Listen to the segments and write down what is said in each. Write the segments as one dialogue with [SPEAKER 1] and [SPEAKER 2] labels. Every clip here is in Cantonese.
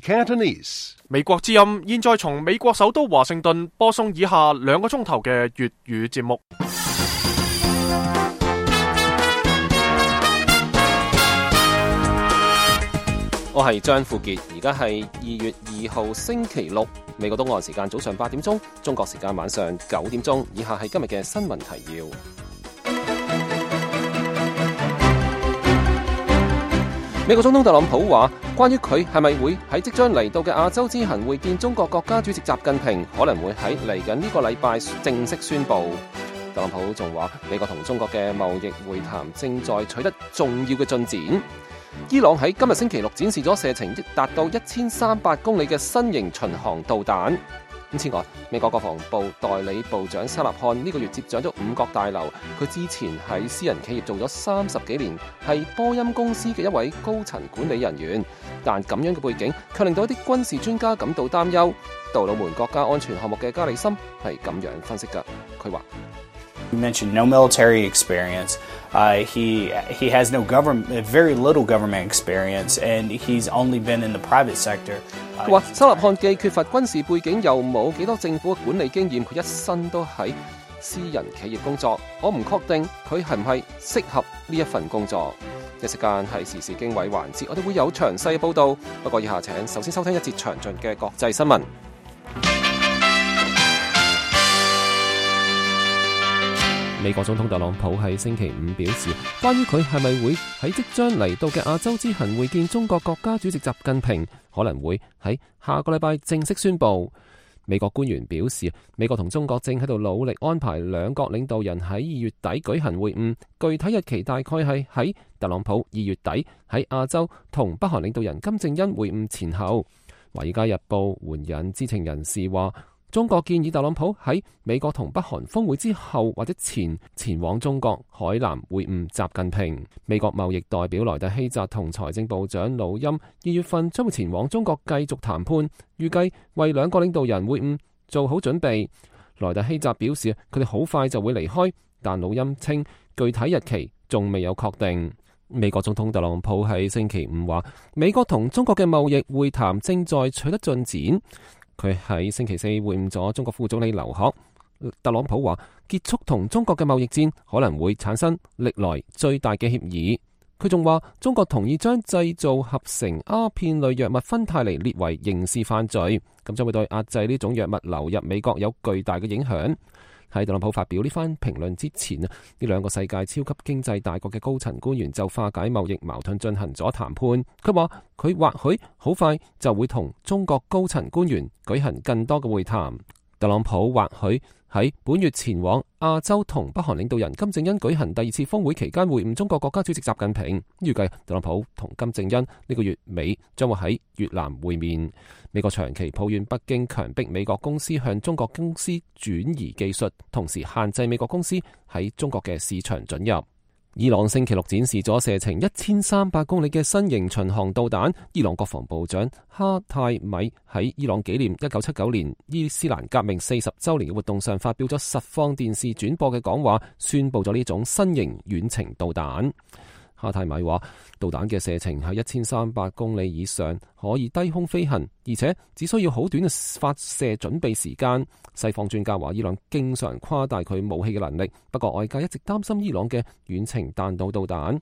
[SPEAKER 1] Cantonese.
[SPEAKER 2] 美國之音現在從美國首都華盛頓播送以下2個鐘頭嘅粵語節目。
[SPEAKER 3] 我係張富傑，而家係2月2號星期六，美國東岸時間早上8點鐘，中國時間晚上9點鐘。以下係今日嘅新聞提要。美國總統特朗普話，關於佢係咪會喺即將嚟到嘅亞洲之行會見中國國家主席習近平，可能會喺嚟緊呢個禮拜正式宣布。特朗普仲話，美國同中國嘅貿易會談正在取得重要嘅進展。伊朗喺今日星期六展示咗射程達到1300公里嘅新型巡航導彈。此外，美國國防部代理部長沙納漢呢個月接掌咗5角大樓，佢之前喺私人企業做咗30幾年，係波音公司嘅一位高層管理人員。但咁樣嘅背景卻令到一啲軍事專家感到擔憂。杜魯門國家安全項目嘅加里森係咁樣分析㗎，佢話
[SPEAKER 4] You mentioned no military experience. He has no very little government experience, and he's only been in the private sector.
[SPEAKER 3] 佢話沙納漢既缺乏軍事背景，又冇幾多政府嘅管理經驗，佢一生都喺私人企業工作。我唔確定佢係唔係適合呢一份工作。一時間係時事經緯環節，我哋會有詳細嘅報導。不過以下請首先收聽一節詳盡嘅國際新聞。美國總統特朗普喺星期五表示，關於佢係咪會喺即將嚟到嘅亞洲之行會見中國國家主席習近平，可能會喺下個禮拜正式宣布。美國官員表示，美國同中國正喺度努力安排兩國領導人喺2月底舉行會晤，具體日期大概係喺特朗普2月底喺亞洲同北韓領導人金正恩會晤前後。華爾街日報援引知情人士話，中國建議特朗普喺美國同北韓峰會之後或者前往中國海南會晤習近平。美國貿易代表萊特希澤同財政部長魯欽2月份將會前往中國繼續談判，預計為兩個領導人會晤做好準備。萊特希澤表示佢哋好快就會離開，但魯欽稱具體日期仲未有確定。美國總統特朗普喺星期五話，美國同中國嘅貿易會談正在取得進展。佢喺星期四會晤咗中國副總理劉鶴。特朗普話，結束同中國嘅貿易戰可能會產生歷來最大嘅協議。佢仲話，中國同意將製造合成鴉片類藥物芬太尼列為刑事犯罪，咁將會對壓制呢種藥物流入美國有巨大嘅影響。喺特朗普發表呢番評論之前，呢兩個世界超級經濟大國嘅高層官員就化解貿易矛盾進行咗談判。佢話佢或許好快就會同中國高層官員舉行更多嘅會談。特朗普或許喺本月前往亞洲同北韓領導人金正恩舉行第2次峰會期間會晤中國國家主席習近平。預計特朗普同金正恩呢個月尾將會喺越南會面。美國長期抱怨北京強迫美國公司向中國公司轉移技術，同時限制美國公司喺中國嘅市場准入。伊朗星期六展示咗射程1300公里嘅新型巡航導彈。伊朗國防部長哈泰米喺伊朗紀念1979年伊斯蘭革命40週年嘅活動上發表咗實況電視轉播嘅講話，宣布咗呢種新型遠程導彈。哈泰米話，導彈嘅射程喺1300公里以上，可以低空飛行，而且只需要好短嘅發射準備時間。西方專家話，伊朗經常誇大佢武器嘅能力，不過外界一直擔心伊朗嘅遠程彈道導彈。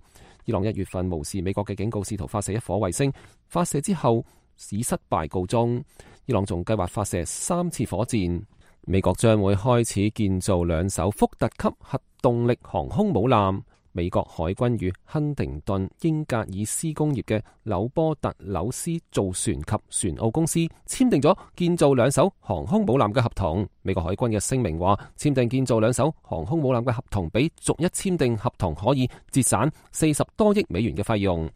[SPEAKER 3] 伊朗1月份無視美國嘅警告，試圖發射一顆衛星，發射之後以失敗告終。伊朗仲計劃發射3次火箭。美國將會開始建造2艘福特級核動力航空母艦。美國海軍與亨廷頓英格爾斯工業嘅紐波特紐斯造船及船澳公司簽訂咗建造2艘航空母艦嘅合同。美國海軍嘅聲明話，簽訂建造2艘航空母艦嘅合同，比逐一簽訂合同可以節省40多億美元嘅費用。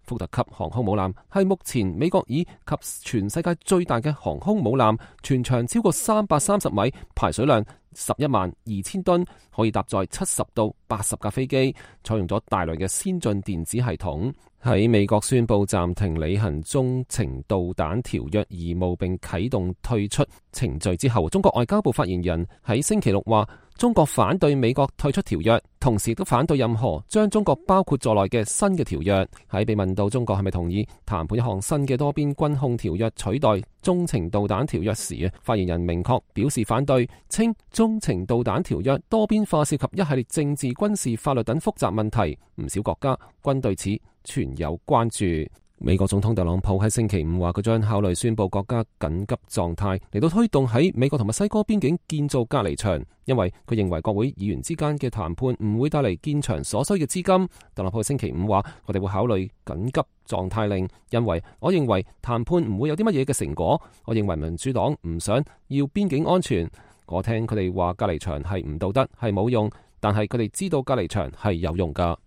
[SPEAKER 3] 福特級航空母艦係目前美國以及全世界最大嘅航空母艦，全長超過330米，排水量112000噸，可以搭載70到80架飛機，採用咗大量嘅先進電子系統。喺美國宣布暫停履行中程導彈條約義務並啟動退出程序之後，中國外交部發言人喺星期六話，中國反對美國退出條約，同時亦都反對任何將中國包括在內嘅新嘅條約。喺被問到中國係咪同意談判一項新嘅多邊軍控條約取代中程導彈條約時，發言人明確表示反對，稱中程導彈條約多邊化涉及一系列政治、軍事、法律等複雜問題，唔少國家均對此存有關注。美國總統特朗普喺星期五話，佢將考慮宣布國家緊急狀態嚟到推動喺美國同墨西哥邊境建造隔離牆，因為佢認為國會議員之間嘅談判唔會帶嚟建牆所需嘅資金。特朗普星期五話，我哋會考慮緊急狀態令，因為我認為談判唔會有啲乜嘢嘅成果。我認為民主黨唔想要邊境安全。我聽佢哋話隔離牆係唔道德，係冇用，但係佢哋知道隔離牆係有用噶。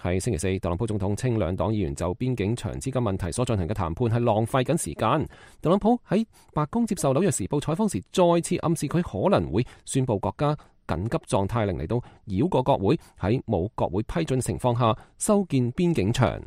[SPEAKER 3] 喺星期四，特朗普總統稱兩黨議員就邊境牆資金問題所進行嘅談判係浪費緊時間。特朗普喺白宮接受紐約時報採訪時，再次暗示佢可能會宣布國家緊急狀態令嚟到繞過國會，喺冇國會批准情況下修建邊境牆。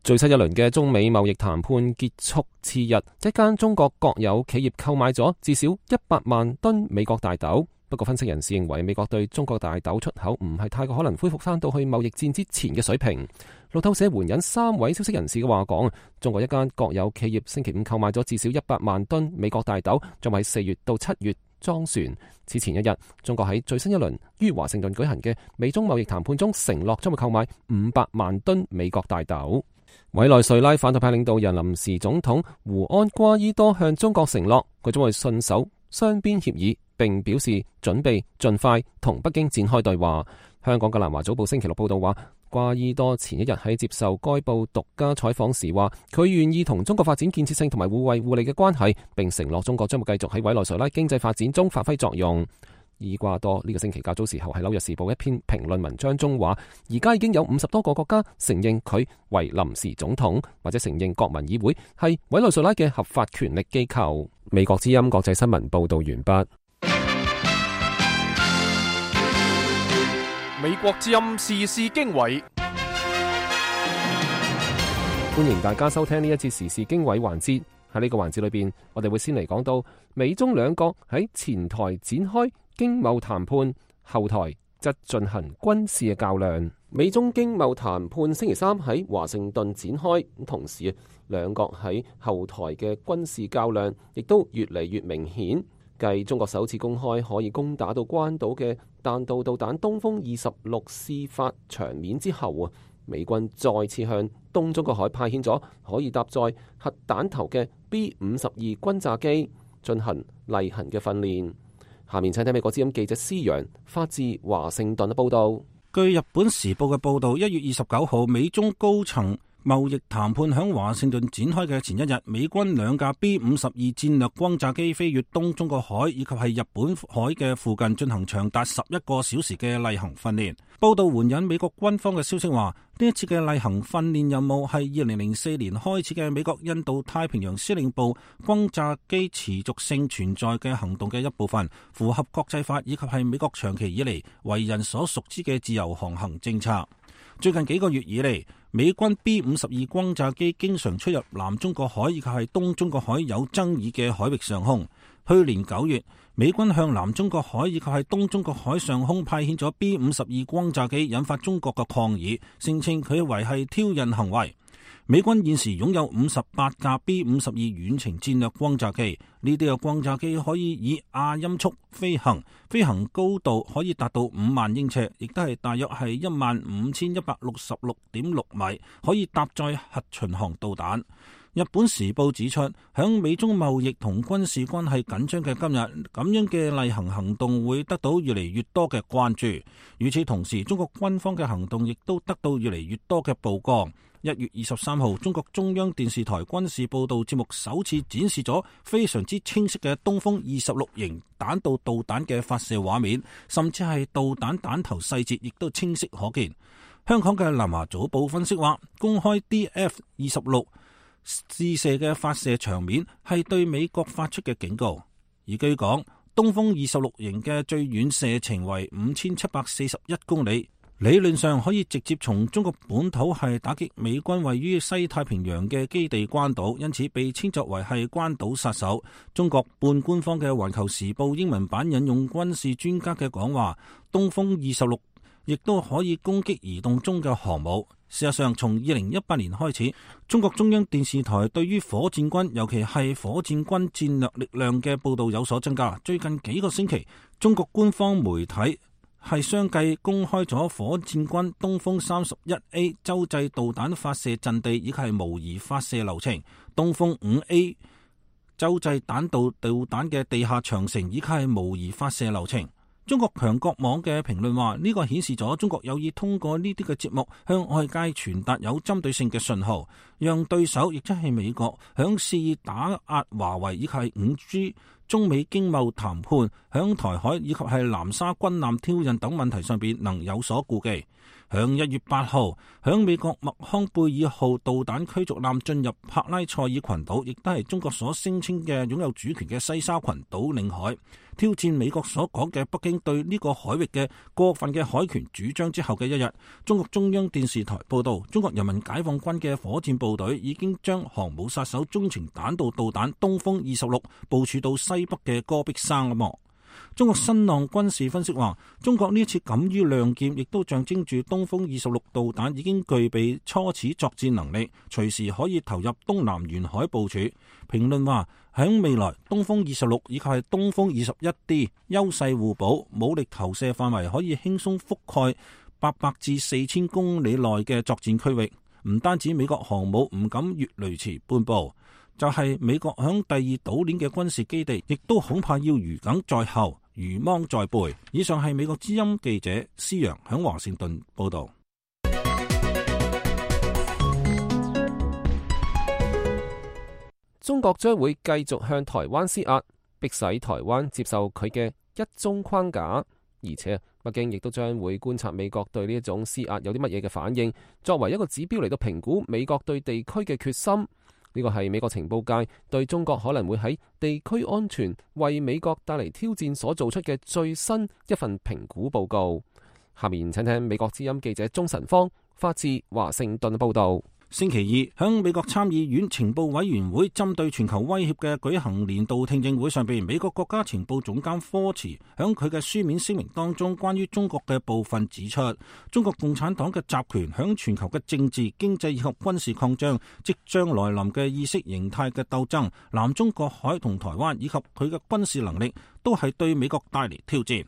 [SPEAKER 3] 最新一輪嘅中美貿易談判結束次日，一間中國國有企業購買咗至少100萬噸美國大豆。不過分析人士認為，美國對中國大豆出口唔係太過可能恢復翻到去貿易戰之前嘅水平。路透社援引3位消息人士嘅話講，中國一間國有企業星期五購買咗至少100萬噸美國大豆，將喺4月到7月裝船。此前一日，中國喺最新一輪於華盛頓舉行嘅美中貿易談判中承諾將會購買500萬噸美國大豆。委內瑞拉反對派領導人臨時總統胡安瓜伊多向中國承諾，佢將會信守雙邊協議，並表示準備盡快同北京展開對話。香港嘅南華早報星期六報道話，瓜伊多前一日喺接受該報獨家採訪時話，佢願意同中國發展建設性同埋互惠互利嘅關係，並承諾中國將會繼續喺委內瑞拉經濟發展中發揮作用。伊瓜多呢個星期較早時候喺紐約時報一篇評論文章中話，而家已經有50多個國家承認佢為臨時總統，或者承認國民議會係委內瑞拉嘅合法權力機構。美國之音國際新聞報道完畢。
[SPEAKER 2] 美國之音時事經緯，
[SPEAKER 3] 歡迎大家收聽呢一節時事經緯環節。喺呢個環節裏邊，我哋會先嚟講到美中兩國喺前台展開經貿談判，後台則進行軍事嘅較量。美中經貿談判星期三喺華盛頓展開，同時兩國喺後台嘅軍事較量亦都越嚟越明顯。繼中國首次公開可以攻打到關島嘅彈道導彈東風26試發場面之後，美軍再次向東中國海派遣咗可以搭載核彈頭嘅 B-52轟炸機進行例行嘅訓練。下面請聽美國之音記者施陽發自華盛頓嘅報道。
[SPEAKER 1] 據日本時報嘅報道，1月29號美中高層貿易談判響華盛頓展開嘅前一日，美軍2架 B-52戰略轟炸機飛越東中國海以及係日本海嘅附近進行長達11個小時嘅例行訓練。報道援引美國軍方嘅消息話，呢一次嘅例行訓練任務係2004年開始嘅美國印度太平洋司令部轟炸機持續性存在嘅行動嘅一部分，符合國際法以及係美國長期以嚟為人所熟知嘅自由航行政策。最近幾個月以嚟，美軍 B-52轟炸機經常出入南中國海以及係東中國海有爭議嘅海域上空。去年9月，美軍向南中國海以及係東中國海上空派遣咗 B-52轟炸機，引發中國嘅抗議，聲稱佢為係挑釁行為。美軍現時擁有58架 B-52遠程戰略轟炸機，呢啲嘅轟炸機可以以亞音速飛行，飛行高度可以達到5萬英尺，亦都係大約係15166.6米，可以搭載核巡航導彈。日本時報指出，響美中貿易同軍事關係緊張嘅今日，咁樣嘅例行行動會得到越嚟越多嘅關注。與此同時，中國軍方嘅行動亦都得到越嚟越多嘅曝光。1月23號，中國中央電視台軍事報道節目首次展示咗非常之清晰嘅東風26型彈道導彈嘅發射畫面，甚至係導彈彈頭細節亦都清晰可見。香港嘅南華早報分析話，公開 DF-26試射嘅發射場面係對美國發出嘅警告。而據講，東風26型嘅最遠射程為5741公里，理論上可以直接從中國本土係打擊美軍位於西太平洋嘅基地關島，因此被稱作為係關島殺手。中國半官方嘅《環球時報》英文版引用軍事專家嘅講話，東風26亦都可以攻擊移動中嘅航母。事實上，從2018年開始，中國中央電視台對於火箭軍，尤其係火箭軍戰略力量嘅報導有所增加。最近幾個星期，中國官方媒體係相繼公開咗火箭軍東風 31A 洲際導彈發射陣地以及係模擬發射流程，東風 5A 洲際彈道導彈嘅地下長城以及係模擬發射流程。中國強國網嘅評論話，呢個顯示咗中國有意通過呢啲嘅節目向外界傳達有針對性嘅信號，讓對手亦即係美國響肆意打壓華為以及係 5G、中美經貿談判、響台海以及係南沙軍艦挑釁等問題上邊能有所顧忌。響1月8號，響美國麥康貝爾號導彈驅逐艦進入帕拉塞爾群島，亦都係中國所聲稱嘅擁有主權嘅西沙群島領海，挑戰美國所講嘅北京對呢個海域嘅過分嘅海權主張之後嘅一日，中國中央電視台報道，中國人民解放軍嘅火箭部隊已經將航母殺手中程彈道導彈東風26部署到西北嘅戈壁沙漠。中國新浪軍事分析話，中國呢一次敢於亮劍，亦都象徵住東風26導彈已經具備初始作戰能力，隨時可以投入東南沿海部署。評論話，喺未來，東風26以及係東風 21D 優勢互補，武力投射範圍可以輕鬆覆蓋800至4000公里內嘅作戰區域。唔單止美國航母唔敢越雷池半步，就係美國響第二島鏈嘅軍事基地，亦都恐怕要如鯁在後，如芒在背。以上係美國之音記者施洋響華盛頓報道。
[SPEAKER 3] 中國將會繼續向台灣施壓，迫使台灣接受佢嘅一中框架，而且北京亦都將會觀察美國對呢一種施壓有啲乜嘢嘅反應，作為一個指標嚟到評估美國對地區嘅決心。呢個係美國情報界對中國可能會喺地區安全為美國帶嚟挑戰所做出嘅最新一份評估報告。下面請聽美國之音記者鍾晨芳發自華盛頓報道。
[SPEAKER 1] 星期二，響美國參議院情報委員會針對全球威脅嘅舉行年度聽證會上邊，美國國家情報總監科茨響佢嘅書面聲明當中，關於中國嘅部分指出，中國共產黨嘅集權響全球嘅政治、經濟以及軍事擴張，即將來臨嘅意識形態嘅鬥爭，南中國海同台灣以及佢嘅軍事能力，都係對美國帶嚟挑戰。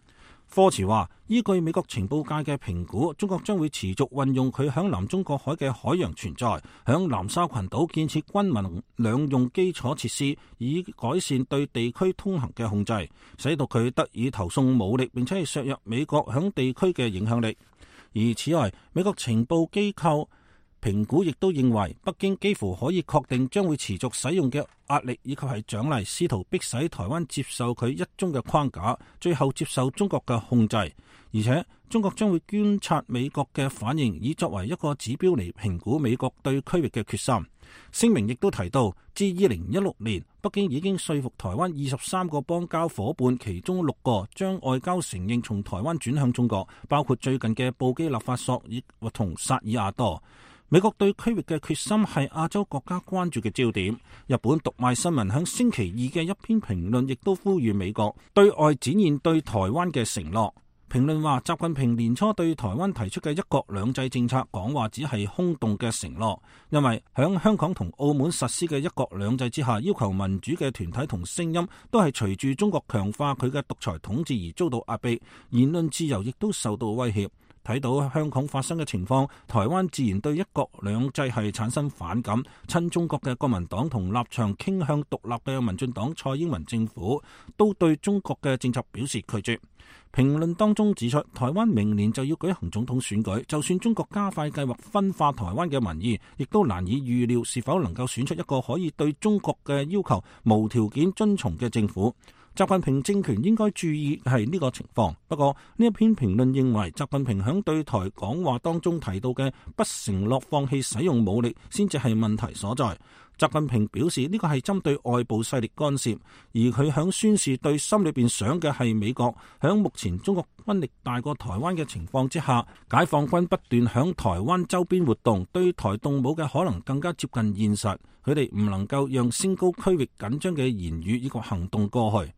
[SPEAKER 1] 科茨話，依據美國情報界嘅評估，中國將會持續運用佢響南中國海嘅海洋存在，響南沙群島建設軍民兩用基礎設施，以改善對地區通行嘅控制，使到佢得以投送武力，並且係削弱美國響地區嘅影響力。而此外，美國情報機構評估亦都認為，北京幾乎可以確定將會持續使用嘅壓力以及係獎勵，試圖迫使台灣接受佢一中嘅框架，最後接受中國嘅控制。而且中國將會觀察美國嘅反應，以作為一個指標嚟評估美國對區域嘅決心。聲明亦都提到，自2016年，北京已經說服台灣23個邦交夥伴，其中6個將外交承認從台灣轉向中國，包括最近嘅布基納法索以同薩爾瓦多。美國對區域嘅決心係亞洲國家關注嘅焦點。日本讀賣新聞響星期二嘅一篇評論亦都呼籲美國對外展現對台灣嘅承諾。評論話，習近平年初對台灣提出嘅一國兩制政策講話只係空洞嘅承諾，因為響香港同澳門實施嘅一國兩制之下，要求民主嘅團體同聲音都係隨住中國強化佢嘅獨裁統治而遭到壓迫，言論自由亦都受到威脅。睇到香港發生嘅情況，台灣自然對一國兩制係產生反感。親中國嘅國民黨同立場傾向獨立嘅民進黨蔡英文政府都對中國嘅政策表示拒絕。評論當中指出，台灣明年就要舉行總統選舉，就算中國加快計劃分化台灣嘅民意，亦都難以預料是否能夠選出一個可以對中國嘅要求無條件遵從嘅政府。習近平政權應該注意係呢個情況。不過呢一篇評論認為，習近平響對台講話當中提到嘅不承諾放棄使用武力，先至係問題所在。習近平表示呢個係針對外部勢力干涉，而佢響宣示對心裏邊想嘅係美國響目前中國軍力大過台灣嘅情況之下，解放軍不斷響台灣周邊活動，對台動武嘅可能更加接近現實，佢哋唔能夠讓升高區域緊張嘅言語以及行動過去。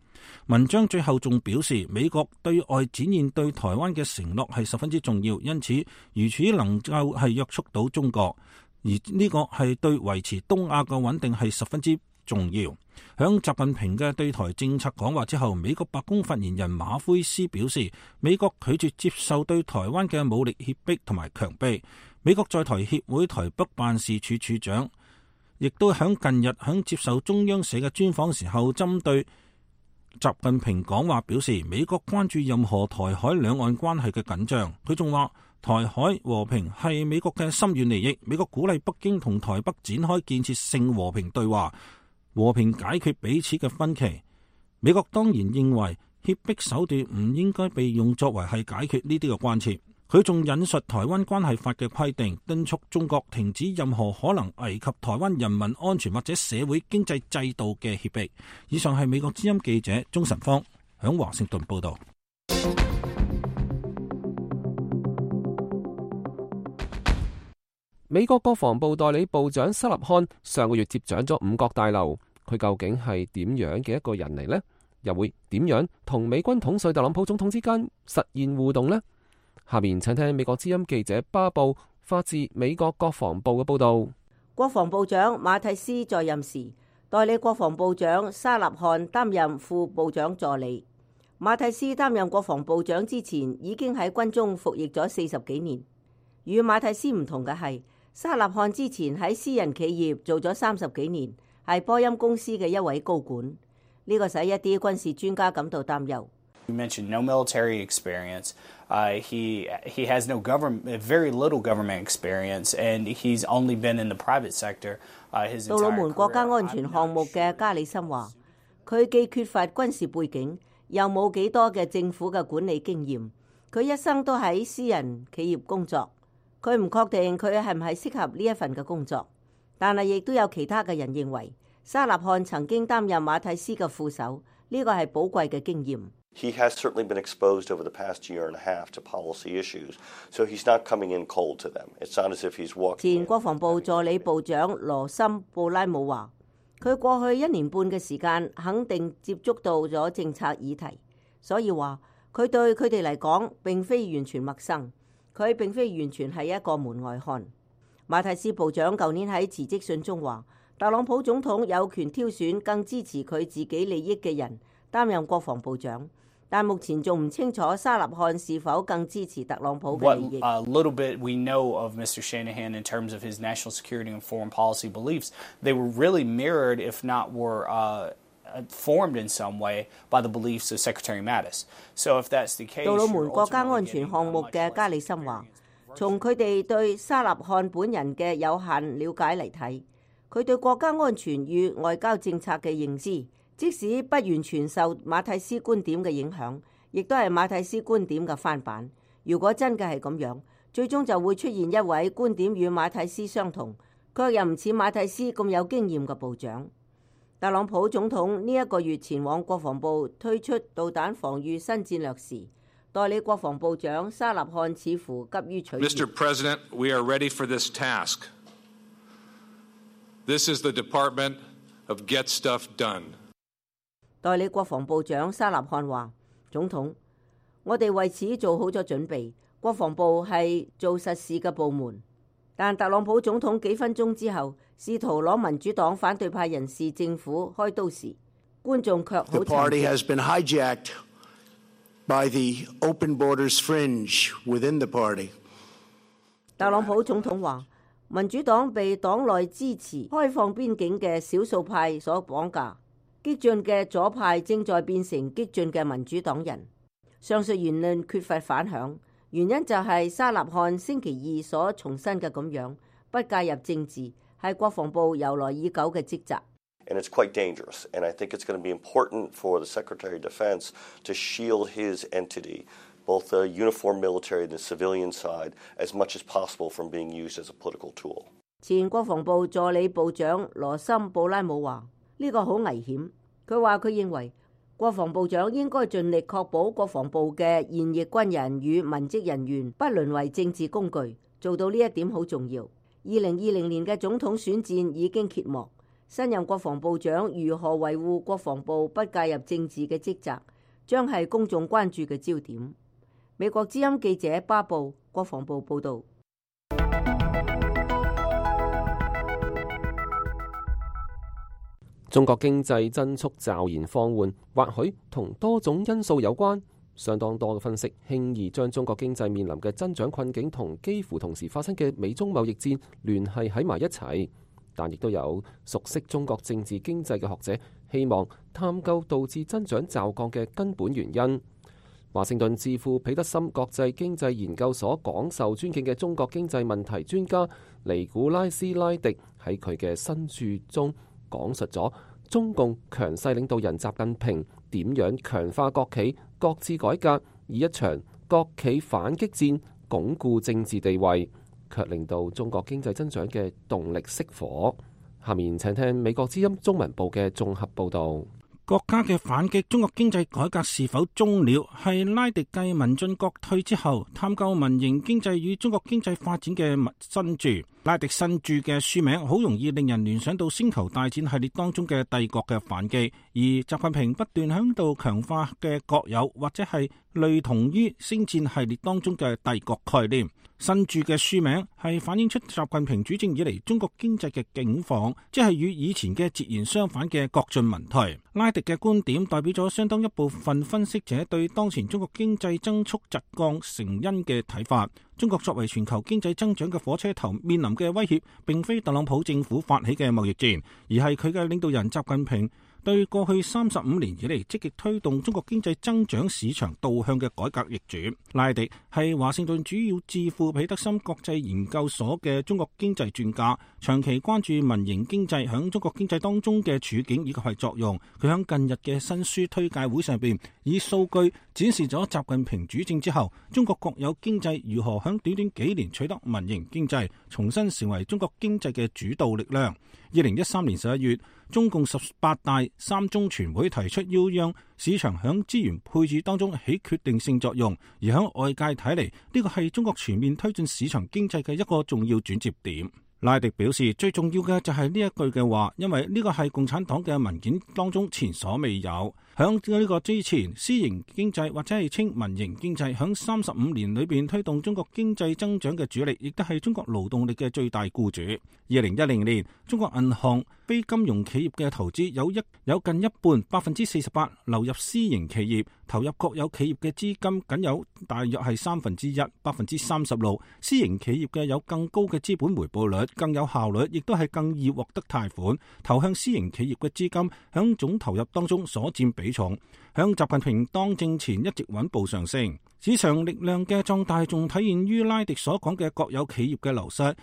[SPEAKER 1] 文章最後仲表示，美國對外展現對台灣嘅承諾係十分之重要，因此如此能夠係約束到中國，而呢個係對維持東亞嘅穩定係十分之重要。響習近平嘅對台政策講話之後，美國白宮發言人馬奎斯表示，美國拒絕接受對台灣嘅武力脅迫同埋強迫。美國在台協會台北辦事處處長亦都響近日響接受中央社嘅專訪時候，針對習近平講話表示，美國關注任何台海兩岸關係嘅緊張。佢仲話，台海和平係美國嘅深遠利益，美國鼓勵北京同台北展開建設性和平對話，和平解決彼此嘅分歧。美國當然認為脅迫手段唔應該被用作為係解決呢啲嘅關切。佢仲引述台灣關係法嘅規定，敦促中國停止任何可能危及台灣人民安全或者社會經濟制度嘅脅迫。以上係美國之音記者鍾晨芳響華盛頓報道。
[SPEAKER 3] 美國國防部代理部長沙納漢上個月接掌咗五角大樓，佢究竟係點樣嘅一個人嚟呢？又會點樣同美軍統帥特朗普總統之間實現互動呢？下面請聽美國之音記者巴布發自美國國防部嘅報道。
[SPEAKER 5] 國防部長馬蒂斯在任時，代理國防部長沙納漢擔任副部長助理。馬蒂斯擔任國防部長之前，已經喺軍中服役咗40幾年。與馬蒂斯唔同嘅係，沙納漢之前喺私人企業做咗30幾年，係波音公司嘅一位高管。呢個使一啲軍事專家感到擔憂。
[SPEAKER 4] You mentioned no military experience. He has very little government experience, and he's only been in the private sector his entire career. 杜魯門國家安全項目嘅加里森話，佢既缺乏軍事背景，又冇幾多嘅政府嘅管理經驗。佢一生都喺私人企業工作，佢唔確定佢係唔係適合呢一份嘅工作。但係亦都有其他嘅人認為，沙納漢曾經擔任馬蒂斯嘅副手，呢個係寶貴嘅經驗。
[SPEAKER 6] He has certainly been exposed over the past year and a half to policy issues, so he's not coming in cold to them. It's not as if he's walking.
[SPEAKER 5] 前國防部助理部長羅森布拉姆話，佢過去1年半嘅時間肯定接觸到咗政策議題，所以話佢對佢哋嚟講並非完全陌生，佢並非完全係一個門外漢。馬蒂斯部長舊年喺辭職信中話，特朗普總統有權挑選更支持佢自己利益嘅人擔任國防部長。但目前仲唔清楚沙納漢是否更支持特朗普嘅利益。
[SPEAKER 4] What little bit we know of Mr. Shanahan in terms of his national security and foreign policy beliefs, they were really mirrored, if not were formed in some way by the beliefs of Secretary Mattis. So if that's the case,
[SPEAKER 5] 杜魯門國家安全項目嘅加里森話，從佢哋對沙納漢本人嘅有限了解嚟睇，佢對國家安全與外交政策嘅認知，即使不完全受馬蒂斯觀點嘅影響，亦都係馬蒂斯觀點嘅翻版。如果真嘅係咁樣，最終就會出現一位觀點與馬蒂斯相同，卻又唔似馬蒂斯咁有經驗嘅部長。特朗普總統呢一個月前往國防部推出導彈防禦新戰略時，代理國防部長沙納漢似乎急於取悅。
[SPEAKER 7] Mr. President, we are ready for this task. This is the Department of Get Stuff Done.
[SPEAKER 5] 代理國防部長沙納漢話：總統，我哋為此做好咗準備。國防部係做實事嘅部門。但特朗普總統幾分鐘之後，試圖攞民主黨反對派人士政府開刀時，觀眾卻好。The
[SPEAKER 8] party has been hijacked by the open borders fringe within the party.
[SPEAKER 5] 特朗普總統話：民主黨被黨內支持開放邊境嘅少數派所綁架。激進嘅左派正在變成激進嘅民主黨人。上述言論缺乏反響，原因就係沙納漢星期二所重申嘅咁樣，不介入政治係國防部由來已久嘅職責。
[SPEAKER 6] And it's quite dangerous, and I think it's going to be important for the Secretary of Defense to shield his entity, both the uniformed military and the civilian side, as much as possible from being used as a political tool.
[SPEAKER 5] 前國防部助理部長羅森布拉姆話：呢個好危險。佢話佢認為國防部長應該盡力確保國防部嘅現役軍人與文職人員不淪為政治工具，做到呢一點好重要。2020年嘅總統選戰已經揭幕，新任國防部長如何維護國防部不介入政治嘅職責，將係公眾關注嘅焦點。美國之音記者巴布，國防部報導。
[SPEAKER 3] 中國經濟增速驟然放緩，或許同多種因素有關。相當多嘅分析輕易將中國經濟面臨嘅增長困境同幾乎同時發生嘅美中貿易戰聯繫喺埋一齊，但亦都有熟悉中國政治經濟嘅學者希望探究導致增長驟降嘅根本原因。華盛頓智庫彼得森國際經濟研究所廣受尊敬嘅中國經濟問題專家尼古拉斯拉迪喺佢嘅新著中講述咗中共強勢領導人習近平點樣強化國企各自改革，以一場國企反擊戰鞏固政治地位，卻令到中國經濟增長嘅動力熄火。下面請聽美國之音中文部嘅綜合報導。
[SPEAKER 1] 國家嘅反擊中國經濟改革是否終了，係拉迪繼民進國退之後探究民營經濟與中國經濟發展嘅新著。拉迪新著嘅書名好容易令人聯想到星球大戰系列當中嘅帝國嘅反擊，而習近平不斷響度強化嘅國有或者係類同於星戰系列當中嘅帝國概念。新著嘅書名係反映出習近平主政以嚟中國經濟嘅境況，即係與以前嘅截然相反嘅國進民退。拉迪嘅觀點代表咗相當一部分分析者對當前中國經濟增速疾降成因嘅睇法。中國作為全球經濟增長嘅火車頭，面臨嘅威脅並非特朗普政府發起嘅貿易戰，而係佢嘅領導人習近平對過去35年以嚟積極推動中國經濟增長市場導向嘅改革易主。拉迪係華盛頓主要智庫彼得森國際研究所嘅中國經濟專家，長期關注民營經濟響中國經濟當中嘅處境以及係作用。佢響近日嘅新書推介會上邊，以數據展示咗習近平主政之後，中國國有經濟如何響短短幾年取得民營經濟重新成為中國經濟嘅主導力量。2013年11月，中共18大三中全會提出要讓市場響資源配置當中起決定性作用，而響外界睇嚟，呢個係中國全面推進市場經濟嘅一個重要轉折點。拉迪表示，最重要嘅就係呢一句嘅話，因為呢個係共產黨嘅文件當中前所未有。響呢個之前，私營經濟或者係稱民營經濟，響35年裏邊推動中國經濟增長嘅主力，亦都係中國勞動力嘅最大僱主。2010年，中國銀行非金融企業嘅投資有近一半48%流入私營企業，投入國有企業嘅資金僅有大約係1/3， 36%。私營企業嘅有更高嘅資本回報率，更有效率，亦都係更易獲得貸款。投向私營企業嘅資金響總投入當中所佔比重，響習近平當政前一直穩步上升。市場力量嘅壯大仲體現於拉迪所講嘅國有企業嘅流失，而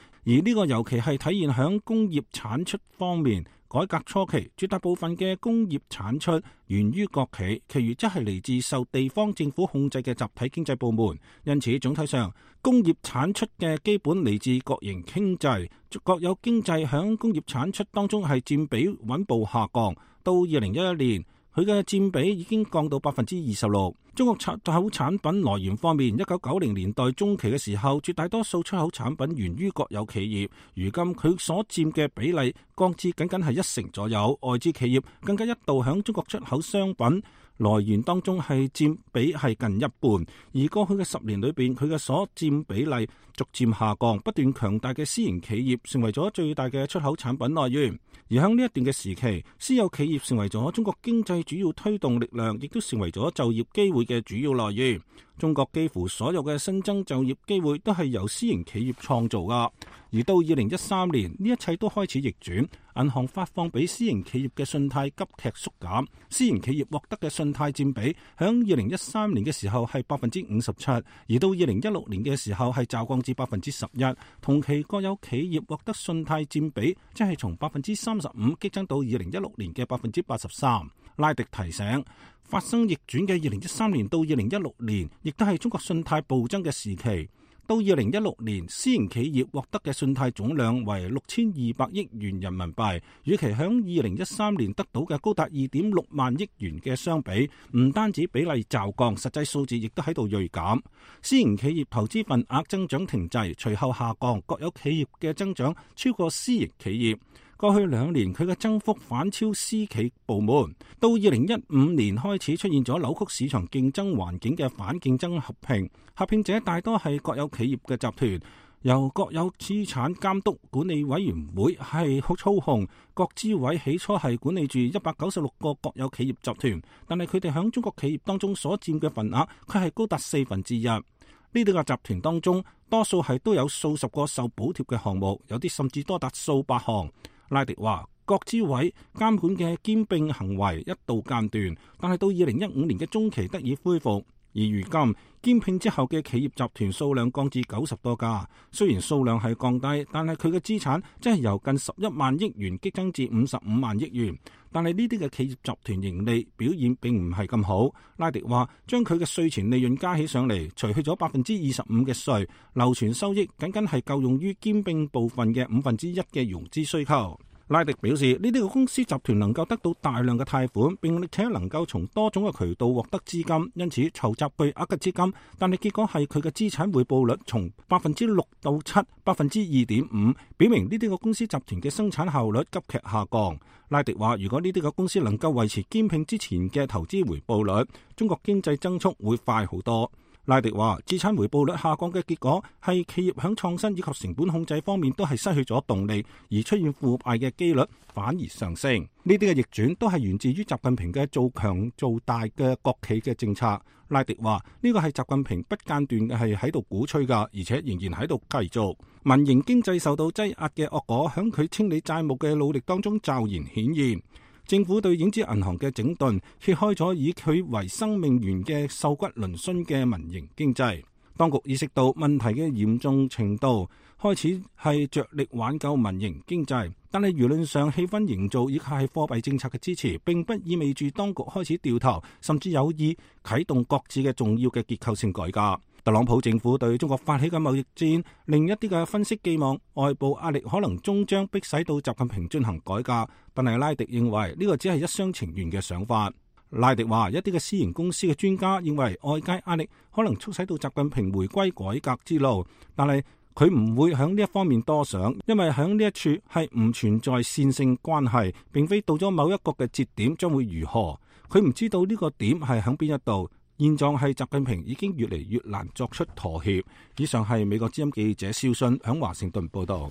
[SPEAKER 1] 呢個尤其係體現響工業產出方面。改革初期，絕大部分嘅工業產出源於國企，其餘則係嚟自受地方政府控制嘅集體經濟部門。因此，總體上，工業產出嘅基本嚟自國營經濟，國有經濟響工業產出當中係佔比穩步下降。到2011年，佢嘅佔比已經降到26%。中國出口產品來源方面，1990年代中期嘅時候，絕大多數出口產品源於國有企業，如今佢所佔嘅比例降至僅僅係1成左右。外資企業更加一度響中國出口商品來源當中係佔比係近一半，而過去嘅10年裏邊，佢嘅所佔比例逐漸下降，不斷強大嘅私營企業成為咗最大嘅出口產品來源。而喺呢一段嘅時期，私有企業成為咗中國經濟主要推動力量，亦都成為咗就業機會嘅主要來源。中國幾乎所有嘅新增就業機會都係由私營企業創造噶。而到2013年，呢一切都開始逆轉，銀行發放俾私營企業嘅信貸急劇縮減，私營企業獲得嘅信貸佔比響2013年嘅時候係57%，而到2016年嘅時候係驟降至11%。同期國有企業獲得信貸佔比即係從35%激增到2016年嘅83%。拉迪提醒，發生逆轉嘅2013年到2016年，亦都係中國信貸暴增嘅時期。到2016年，私營企業獲得嘅信貸總量為6200億元人民幣，與其響2013年得到嘅高達2.6萬億元嘅相比，唔單止比例驟降，實際數字亦都喺度銳減。私營企業投資份額增長停滯，隨後下降，國有企業嘅增長超過私營企業。過去2年佢嘅增幅反超私企部門。到2015年開始出現咗扭曲市場競爭環境嘅反競爭合併，合併者大多係國有企業嘅集團，由國有資產監督管理委員會係操控。國資委起初係管理住196個國有企業集團，但係佢哋響中國企業當中所佔嘅份額，佢係高達1/4。呢啲個集團當中，多數係都有數十個受補貼嘅項目，有啲甚至多達數百項。拉迪話，國資委監管嘅兼併行為一度間斷，但係到2015年嘅中期得以恢復。而如今兼併之後嘅企業集團數量降至90多家，雖然數量係降低，但係佢嘅資產即係由近11萬億元激增至55萬億元。但係呢啲嘅企業集團盈利表現並唔係咁好。拉迪話，將佢嘅稅前利潤加起上嚟，除去咗25%嘅稅，流存收益僅僅係夠用於兼併部分嘅1/5嘅融資需求。拉迪表示，呢啲嘅公司集團能夠得到大量嘅貸款，並且能夠從多種嘅渠道獲得資金，因此籌集巨額嘅資金。但係結果係佢嘅資產回報率從6%到7%、2.5%，表明呢啲嘅公司集團嘅生產效率急劇下降。拉迪話，如果呢啲嘅公司能夠維持兼併之前嘅投資回報率，中國經濟增速會快好多。拉迪話，資產回報率下降嘅結果係企業響創新以及成本控制方面都係失去咗動力，而出現腐敗嘅機率反而上升。呢啲嘅逆轉都係源自於習近平嘅做強做大嘅國企嘅政策。拉迪話，呢個係習近平不間斷嘅係喺度鼓吹㗎，而且仍然喺度繼續。民營經濟受到擠壓嘅惡果響佢清理債務嘅努力當中驟然顯現。政府對影子銀行嘅整頓，揭開咗以佢為生命源嘅瘦骨嶙峋嘅民營經濟。當局意識到問題嘅嚴重程度，開始係着力挽救民營經濟。但係輿論上氣氛營造以及係貨幣政策嘅支持，並不意味住當局開始掉頭，甚至有意啟動各自嘅重要嘅結構性改革。特朗普政府對中國發起嘅貿易戰，另一啲嘅分析寄望外部壓力可能終將迫使到習近平進行改革，但係拉迪認為呢個只係一廂情願嘅想法。拉迪話，一啲嘅私營公司嘅專家認為外界壓力可能促使到習近平回歸改革之路，但係佢唔會響呢一方面多想，因為響呢一處係唔存在線性關係，並非到咗某一個嘅節點將會如何，佢唔知道呢個點係響邊一度。現狀係習近平已經越嚟越難作出妥協。以上係美國之音記者肖遜響華盛頓報道。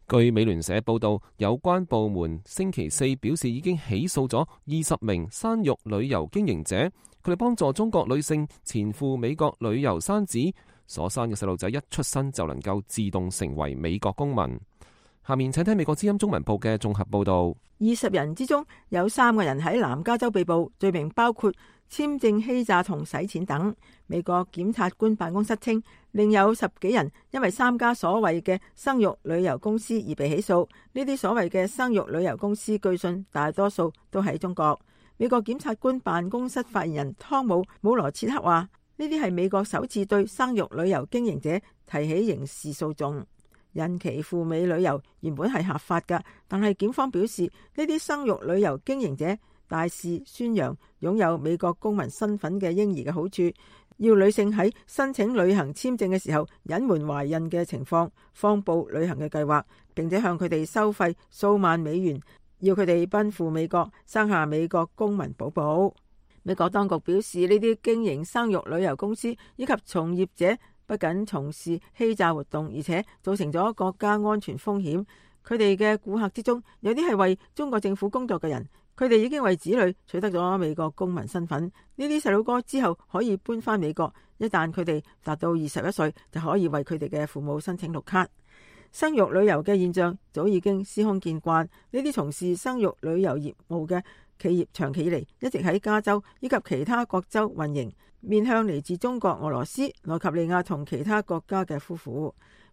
[SPEAKER 3] 據美聯社報道，有關部門星期四表示已經起訴咗20名生育旅遊經營者，佢哋幫助中國女性前赴美國旅遊生子，所生嘅細路仔一出生就能夠自動成為美國公民。下面請聽美國之音中文部嘅綜合報道。
[SPEAKER 9] 20人之中有3個人喺南加州被捕，罪名包括簽證欺詐同洗錢等。美國檢察官辦公室稱，另有10幾人因為3家所謂嘅生育旅遊公司而被起訴。呢啲所謂嘅生育旅遊公司據信大多數都喺中國。美國檢察官辦公室發言人湯姆羅切克話，呢啲係美國首次對生育旅遊經營者提起刑事訴訟。孕期赴美旅遊原本係合法㗎，但係檢方表示呢啲生育旅遊經營者大肆宣揚擁有美國公民身份嘅嬰兒嘅好處，要女性喺申請旅行簽證嘅時候隱瞞懷孕嘅情況，謊報旅行嘅計劃，並且向佢哋收費數萬美元，要佢哋奔赴美國生下美國公民寶寶。美國當局表示，呢啲經營生育旅遊公司以及從業者不僅從事欺詐活動，而且造成咗國家安全風險。佢哋嘅顧客之中，有啲係為中國政府工作嘅人，佢哋已經為子女取得咗美國公民身份。呢啲細路哥之後可以搬返美國，一旦佢哋達到21歲，就可以為佢哋嘅父母申請綠卡。生育旅遊嘅現象早已經司空見慣，呢啲從事生育旅遊業務嘅企業長期以嚟一直喺加州以及其他各州運營，面向嚟自中國、俄羅斯、奈及利亞同其他國家嘅夫婦。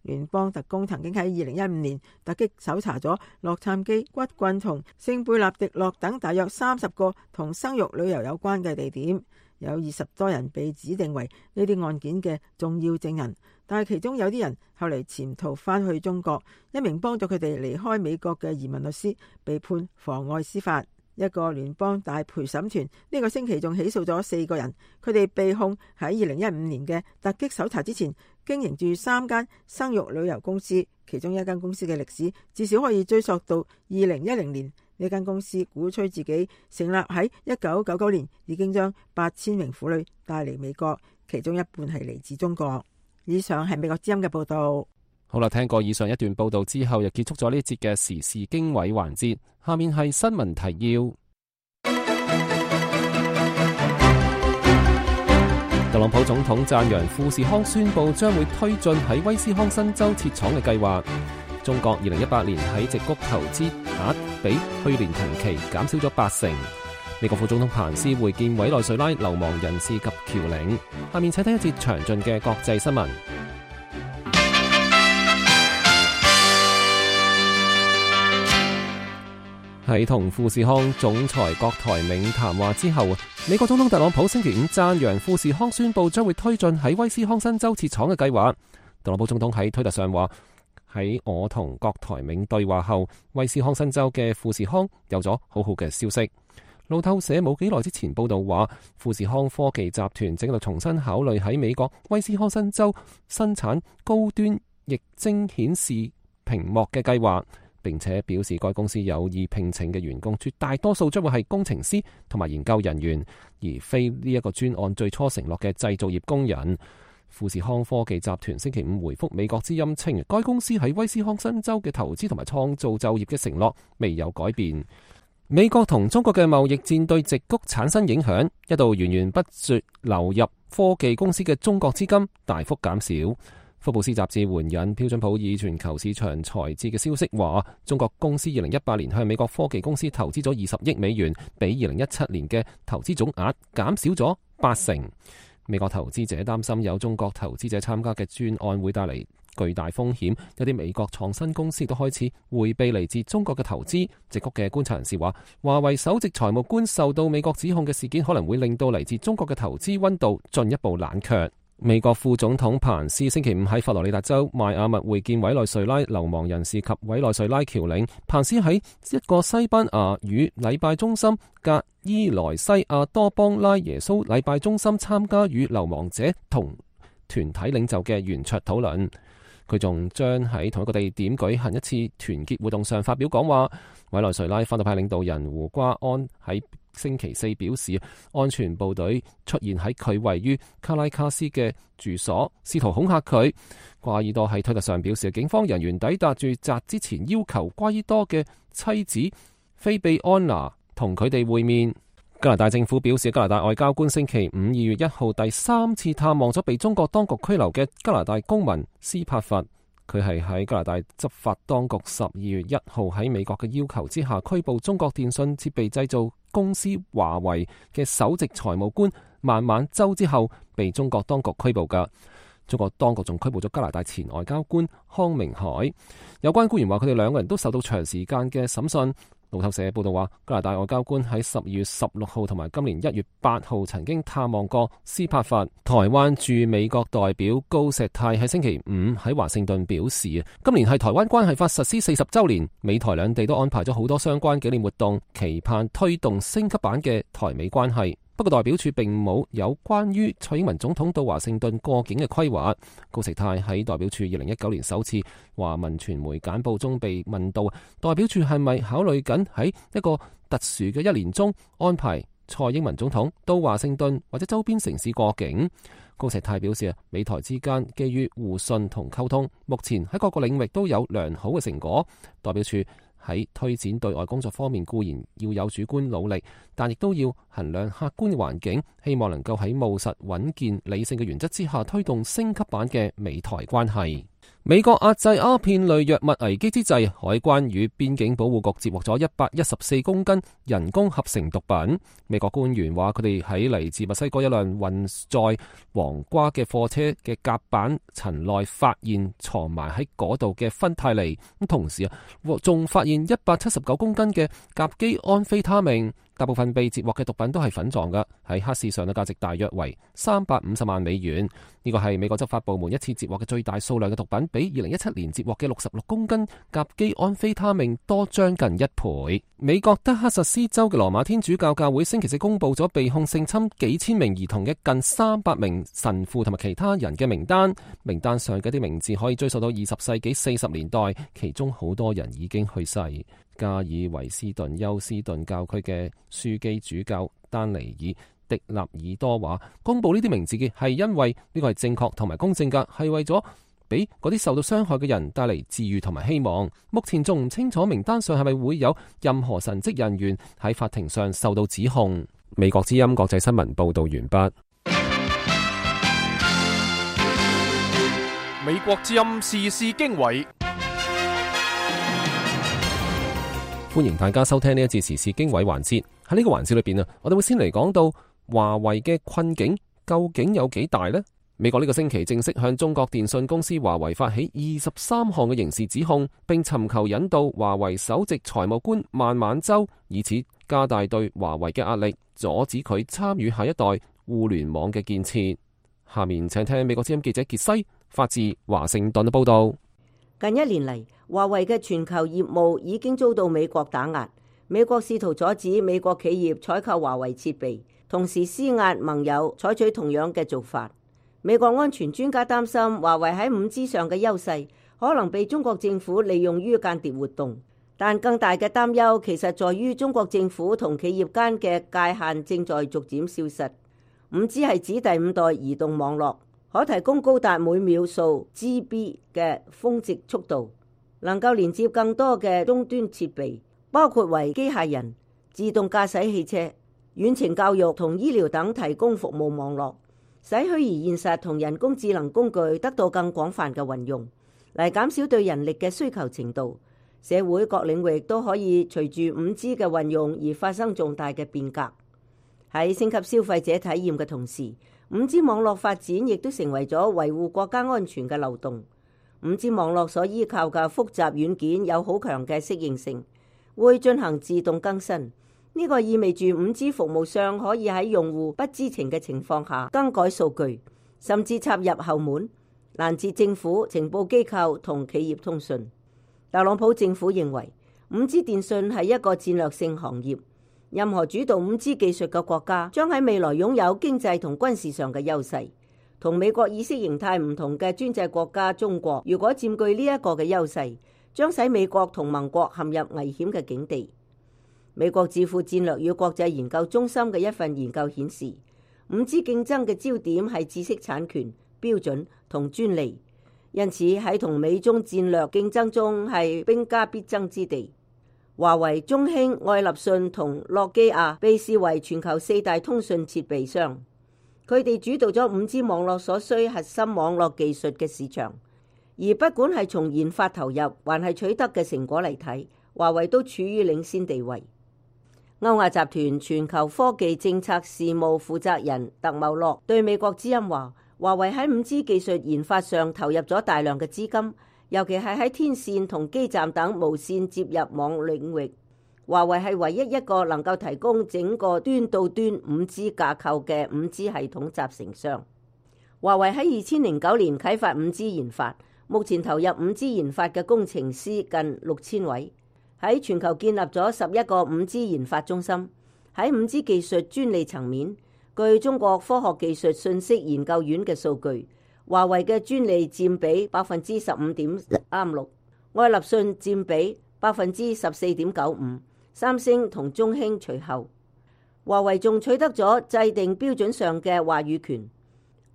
[SPEAKER 9] 聯邦特工曾經喺2015年突擊搜查咗洛杉磯、骨棍同聖貝納迪諾等大約30個同生育旅遊有關嘅地點，有20多人被指定為呢啲案件嘅重要證人，但係其中有啲人後嚟潛逃返去中國。一名幫助佢哋離開美國嘅移民律師被判妨礙司法。一個聯邦大陪審團呢個星期仲起訴咗4個人，佢哋被控喺2015年嘅突擊搜查之前經營住3間生育旅遊公司，其中一間公司嘅歷史至少可以追溯到2010年。呢間公司鼓吹自己成立喺1999年，已經將8000名婦女帶嚟美國，其中一半係嚟自中國。以上係美國之音嘅報道。
[SPEAKER 3] 好啦，聽過以上一段報道之後，又結束咗呢一節嘅時事經緯環節。下面係新聞提要。特朗普總統讚揚富士康宣布將會推進喺威斯康辛州設廠嘅計劃。中國2018年喺矽谷投資額比去年同期減少咗80%。美國副總統彭斯會見委內瑞拉流亡人士及僑領。下面請睇一節詳盡嘅國際新聞。喺同富士康總裁郭台銘談話之後，美國總統特朗普星期五讚揚富士康宣布將會推進喺威斯康辛州設廠嘅計劃。特朗普總統喺推特上話：喺我同郭台銘對話後，威斯康辛州嘅富士康有咗好好嘅消息。路透社冇幾耐之前報道話，富士康科技集團正喺度重新考慮喺美國威斯康辛州生產高端液晶顯示屏幕嘅計劃。並且表示該公司有意聘請嘅員工絕大多數將會係工程師同埋研究人員，而非呢一個專案最初承諾嘅製造業工人。富士康科技集團星期五回覆美國之音稱，該公司喺威斯康辛州嘅投資同埋創造就業嘅承諾未有改變。美國同中國嘅貿易戰對矽谷產生影響，一度源源不絕流入科技公司嘅中國資金大幅減少。福布斯雜誌援引標準普爾全球市場財智嘅消息話，中國公司2018年向美國科技公司投資咗20億美元，比2017年嘅投資總額減少咗80%。美國投資者擔心有中國投資者參加嘅專案會帶嚟巨大風險，有啲美國創新公司都開始迴避嚟自中國嘅投資。矽谷嘅觀察人士話，華為首席財務官受到美國指控嘅事件可能會令到嚟自中國嘅投資溫度進一步冷卻。美國副總統彭斯星期五喺佛羅里達州邁阿密會見委內瑞拉流亡人士及委內瑞拉僑領。彭斯喺一個西班牙語禮拜中心格伊萊西亞多邦拉耶穌禮拜中心參加與流亡者同團體領袖嘅圓桌討論。佢仲將喺同一個地點舉行一次團結活動上發表講話。委內瑞拉反對派領導人胡瓜安喺星期四表示，安全部隊出現喺佢位於卡拉卡斯嘅住所，試圖恐嚇佢。瓜爾多喺推特上表示，警方人員抵達住宅之前要求瓜爾多嘅妻子菲比安娜同佢哋會面。加拿大政府表示，加拿大外交官星期5 2月1號第3次探望咗被中國當局拘留嘅加拿大公民斯帕弗。佢係喺加拿大執法當局12月1號喺美國嘅要求之下拘捕中國電信設備製造公司華為嘅首席財務官孟晚舟之後，被中國當局拘捕㗎。中國當局仲拘捕咗加拿大前外交官康明凱。有關官員話，佢哋兩個人都受到長時間嘅審訊。路透社報道話，加拿大外交官喺12月16號同埋今年1月8號曾經探望過斯帕弗。台灣駐美國代表高石泰喺星期5喺華盛頓表示，今年係台灣關係法實施40週年，美台兩地都安排咗好多相關紀念活動，期盼推動升級版嘅台美關係。不過代表處並冇有關於蔡英文總統到華盛頓過境嘅規劃。高石泰喺代表處2019年首次華文傳媒簡報中被問到，代表處係咪考慮緊喺一個特殊嘅一年中安排蔡英文總統到華盛頓或者周邊城市過境？高石泰表示，美台之間基於互信同溝通，目前喺各個領域都有良好嘅成果。代表處喺推展對外工作方面固然要有主觀努力，但亦都要衡量客觀嘅環境，希望能夠喺務實、穩健、理性嘅原則之下推動升級版嘅美台關係。美國壓制鴉片類藥物危機之際，海關與邊境保護局接獲咗114公斤人工合成毒品。美國官員話，佢哋喺嚟自墨西哥一輛運載黃瓜嘅貨車嘅甲板層內發現藏埋喺嗰度嘅芬太尼，咁同時仲發現179公斤嘅甲基安非他命。大部分被截獲嘅毒品都係粉狀嘅，喺黑市上嘅價值大約為350萬美元。呢個係美國執法部門一次截獲嘅最大數量嘅毒品，比2017年截獲嘅66公斤甲基安非他命多將近1倍。美國德克薩斯州嘅羅馬天主教教會星期四公布咗被控性侵幾千名兒童嘅近300名神父同埋其他人嘅名單，名單上嘅啲名字可以追溯到20世紀40年代，其中好多人已經去世。加爾維斯頓休斯頓教區嘅樞機主教丹尼爾迪納爾多話，公布呢啲名字嘅係因為呢個係正確同埋公正㗎，係為咗俾嗰啲受到傷害嘅人帶嚟治癒同埋希望。目前仲唔清楚名單上係咪會有任何神職人員喺法庭上受到指控。美國之音國際新聞報道完畢。
[SPEAKER 2] 美國之音時事經緯。
[SPEAKER 3] 歡迎大家收聽呢一節時事經緯環節。喺呢個環節裏邊我哋會先嚟講到華為嘅困境究竟有幾大呢？美國呢個星期正式向中國電信公司華為發起23項嘅刑事指控，並尋求引渡華為首席財務官孟晚舟，以此加大對華為嘅壓力，阻止佢參與下一代互聯網嘅建設。下面請聽美國之音記者傑西發自華盛頓嘅報道。
[SPEAKER 5] 近1年嚟，華為嘅全球業務已經遭到美國打壓。美國試圖阻止美國企業採購華為設備，同時施壓盟友採取同樣嘅做法。美國安全專家擔心華為喺5G 上嘅優勢可能被中國政府利用於間諜活動，但更大嘅擔憂其實在於中國政府同企業間嘅界限正在逐漸消失。5G 係指第5代移動網絡，可提供高達每秒數 GB 嘅峰值速度，能夠連接更多嘅終端設備，包括為機械人、自動駕駛汽車、遠程教育同醫療等提供服務網絡，使虛擬現實同人工智能工具得到更廣泛嘅運用，嚟減少對人力嘅需求程度。社會各領域都可以隨住 5G 嘅運用而發生重大嘅變革。喺升級消費者體驗嘅同時，5G 網絡發展亦都成為咗維護國家安全嘅漏洞。5G 網絡所依靠嘅複雜軟件有好強嘅適應性，會進行自動更新。呢個意味住 5G 服務商可以喺用戶不知情嘅情況下更改數據，甚至插入後門，攔截政府、情報機構同企業通訊。特朗普政府認為 5G 電信係一個戰略性行業。任何主導 5G 技術嘅國家將喺未來擁有經濟同軍事上嘅優勢。同美國意識形態唔同嘅專制國家中國，如果佔據呢一個嘅優勢，將使美國同盟國陷入危險嘅境地。美國智庫戰略與國際研究中心嘅一份研究顯示，5G 競爭嘅焦點係知識產權、標準同專利，因此喺同美中戰略競爭中係兵家必爭之地。華為、中興、愛立信同諾基亞被視為全球4大通訊設備商，佢哋主導咗 5G 網絡所需核心網絡技術嘅市場。而不管係從研發投入，還係取得嘅成果嚟睇，華為都處於領先地位。歐亞集團全球科技政策事務負責人特茂洛對美國之音話，華為喺 5G 技術研發上投入咗大量嘅資金，尤其係喺天線同基站等無線接入網領域。華為係唯一一個能夠提供整個端到端 5G 架構嘅 5G 系統集成商。華為喺2009年啟發 5G 研發，目前投入 5G 研發嘅工程師近6000位，喺全球建立咗11個 5G 研發中心。喺 5G 技術專利層面，據中國科學技術信息研究院嘅數據，華為嘅專利佔比 15.36%， 愛立信佔比 14.95%， 三星同中興隨後。華為仲取得咗制定標準上嘅話語權。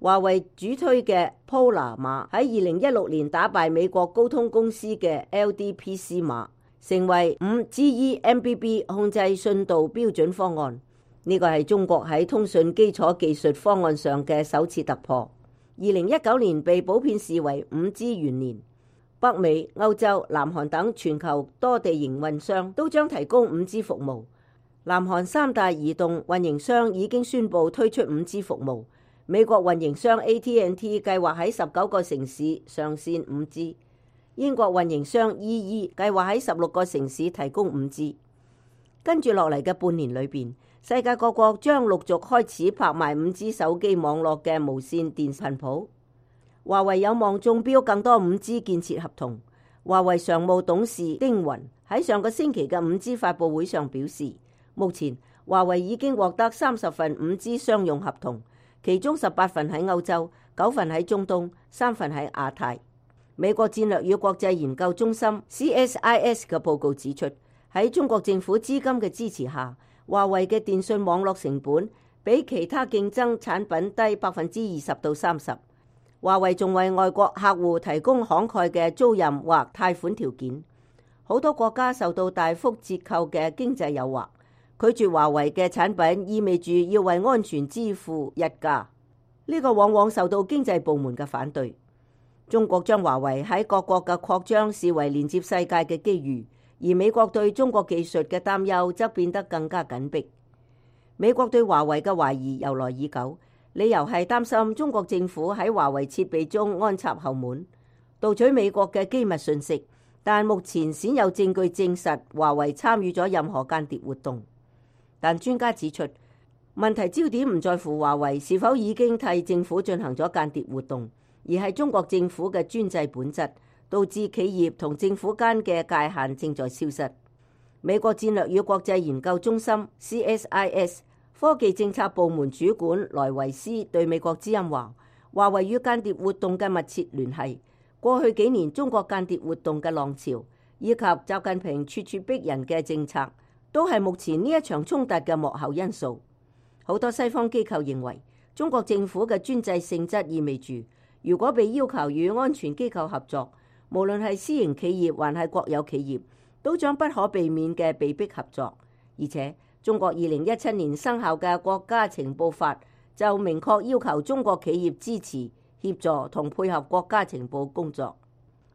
[SPEAKER 5] 華為主推嘅 Polar 碼喺2016年打敗美國高通公司嘅 LDPC 碼，成為 5GE MBB 控制信度標準方案。呢個係中國喺通訊基礎技術方案上嘅首次突破。2019年被普遍視為 5G 元年。北美、歐洲、南韓等全球多地營運商都將提供 5G 服務。南韓三大移動運營商已經宣布推出 5G 服務。美國運營商 AT&T 計劃喺19個城市上線 5G。英國運營商 EE 計劃喺16個城市提供 5G。跟住落嚟嘅半年裏邊，世界各國將陸續開始拍賣 5G 手機網絡嘅無線電頻譜。華為有望中標更多 5G 建設合同。華為常務董事丁雲喺上個星期嘅 5G 發佈會上表示，目前華為已經獲得30份 5G 商用合同，其中18份喺歐洲，9份喺中東，3份喺亞太。美國戰略與國際研究中心 CSIS 嘅報告指出，喺中國政府資金嘅支持下，華為嘅電信網絡成本比其他競爭產品低20%到30%。華為仲為外國客戶提供慷慨嘅租賃或貸款條件。好多國家受到大幅折扣嘅經濟誘惑，拒絕華為嘅產品意味住要為安全支付溢價。呢個往往受到經濟部門嘅反對。中國將華為喺各國嘅擴張視為連接世界嘅機遇，而美國對中國技術嘅擔憂則變得更加緊迫。美國對華為嘅懷疑由來已久，理由係擔心中國政府喺華為設備中安插後門，盜取美國嘅機密信息，但目前鮮有證據證實華為參與咗任何間諜活動。但專家指出，問題焦點唔在乎華為是否已經替政府進行咗間諜活動，而係中國政府嘅專制本質，導致企業同政府間嘅界限正在消失。美國戰略與國際研究中心 CSIS 科技政策部門主管萊維斯對美國之音話，華為與間諜活動嘅密切聯繫，過去幾年中國間諜活動嘅浪潮，以及習近平處處逼人嘅政策，都係目前呢一場衝突嘅幕後因素。好多西方機構認為，中國政府嘅專制性質意味住，如果被要求與安全機構合作，無論係私營企業還係國有企業，都將不可避免嘅被迫合作。而且中國2017年生效嘅國家情報法就明確要求中國企業支持、協助同配合國家情報工作。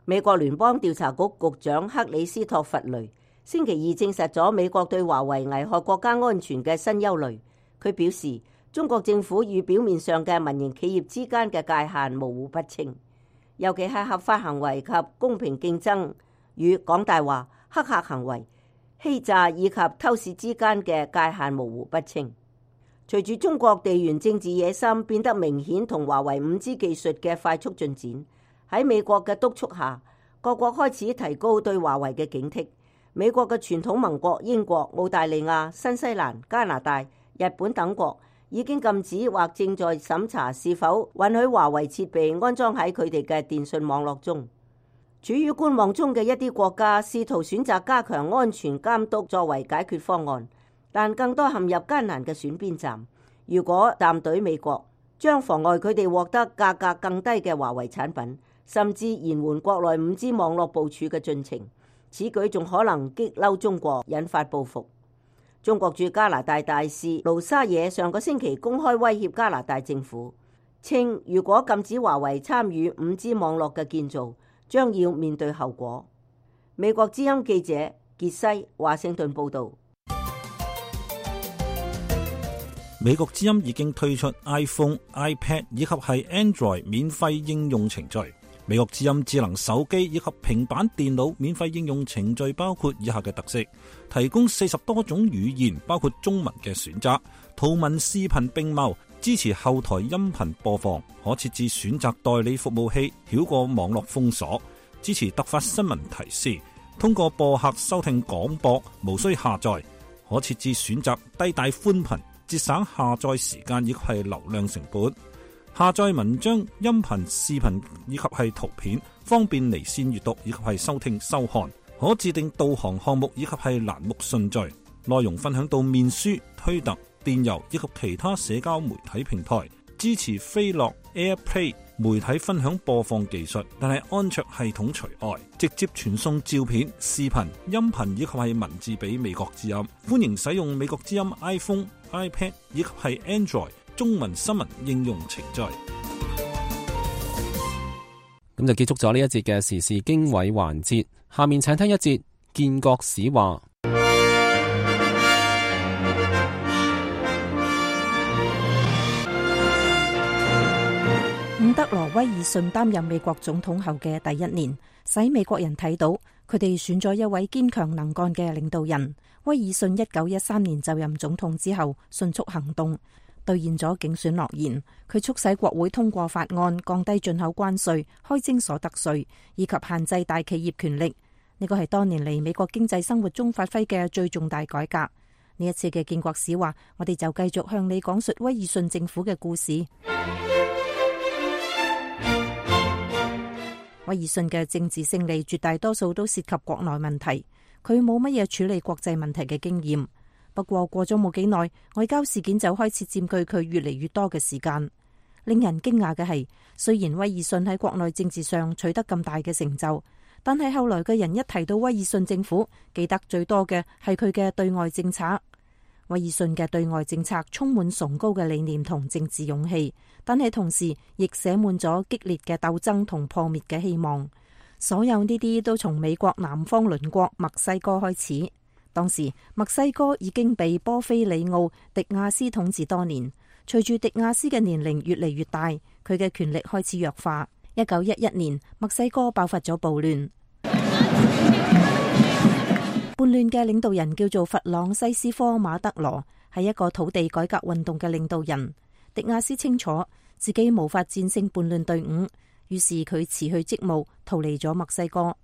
[SPEAKER 5] 美國聯邦調查局局長克里斯托弗雷星期二證實咗美國對華為危害國家安全嘅新憂慮。佢表示，中國政府與表面上嘅民營企業之間嘅界限模糊不清，尤其係合法行為及公平競爭與講大話、黑客行為、欺詐以及偷竊之間嘅界限模糊不清。隨住中國地緣政治野心變得明顯同華為 5G 技術嘅快速進展，喺美國嘅督促下，各國開始提高對華為嘅警惕。美國嘅傳統盟國英國、澳大利亞、新西蘭、加拿大、日本等國已經禁止或正在審查是否允許華為設備安裝喺佢哋嘅電信網絡中。處於觀望中嘅一啲國家試圖選擇加強安全監督作為解決方案，但更多陷入艱難嘅選邊站。如果站隊美國，將妨礙佢哋獲得價格更低嘅華為產品，甚至延緩國內 5G 網絡部署嘅進程。此舉仲可能激嬲中國，引發報復。中國駐加拿大大使盧沙野上個星期公開威脅加拿大政府，稱如果禁止華為參與 5G 網絡嘅建造，將要面對後果。美國之音記者傑西華盛頓報導。
[SPEAKER 1] 美國之音已經推出 iPhone、iPad 以及係 Android 免費應用程序。美國之音智能手機以及平板電腦免費應用程序包括以下嘅特色：提供40多種語言，包括中文嘅選擇，圖文視頻並茂，支持後台音頻播放，可設置選擇代理服務器，繞過網絡封鎖，支持突發新聞提示，通過播客收聽廣播，無需下載，可設置選擇低帶寬頻，節省下載時間以及係流量成本。下載文章、音頻、視頻以及係圖片，方便離線閱讀以及係收聽收看。可自定導航項目以及係欄目順序。內容分享到面書、推特、電郵以及其他社交媒體平台。支持飛樂 AirPlay 媒體分享播放技術，但係安卓系統除外。直接傳送照片、視頻、音頻以及係文字俾美國之音。歡迎使用美國之音 iPhone、iPad 以及係 Android中文新聞應用程序。
[SPEAKER 3] 咁就結束咗呢一節嘅時事經緯環節，下面請聽一節建國史話。
[SPEAKER 10] 伍德羅·威爾遜擔任美國總統後嘅第一年，使美國人睇到佢哋選咗一位堅強能幹嘅領導人。威爾遜1913年就任總統之後，迅速行動，兌現咗競選諾言。佢促使國會通過法案，降低進口關稅、開徵所得稅，以及限制大企業權力。呢個係多年嚟美國經濟生活中發揮嘅最重大改革。呢一次嘅建國史話，我哋就繼續向你講述威爾遜政府嘅故事。威爾遜嘅政治勝利絕大多數都涉及國內問題，佢冇乜嘢處理國際問題嘅經驗。不過過咗冇幾耐，外交事件就開始佔據佢越嚟越多嘅時間。令人驚訝嘅係，雖然威爾遜喺國內政治上取得咁大嘅成就，但係後來嘅人一提到威爾遜政府，記得最多嘅係佢嘅對外政策。威爾遜嘅對外政策充滿崇高嘅理念同政治勇氣，但係同時亦寫滿咗激烈嘅鬥爭同破滅嘅希望。所有呢啲都從美國南方鄰國墨西哥開始。當時墨西哥已經被波菲里奧·迪亞斯統治多年，隨住迪亞斯嘅年齡越嚟越大，佢嘅權力開始弱化。1911年，墨西哥爆發咗暴亂。叛亂嘅領導人叫做弗朗西斯科·馬德羅，係一個土地改革運動嘅領導人。迪亞斯清楚自己無法戰勝叛亂隊伍，於是佢辭去職務，逃離咗墨西哥。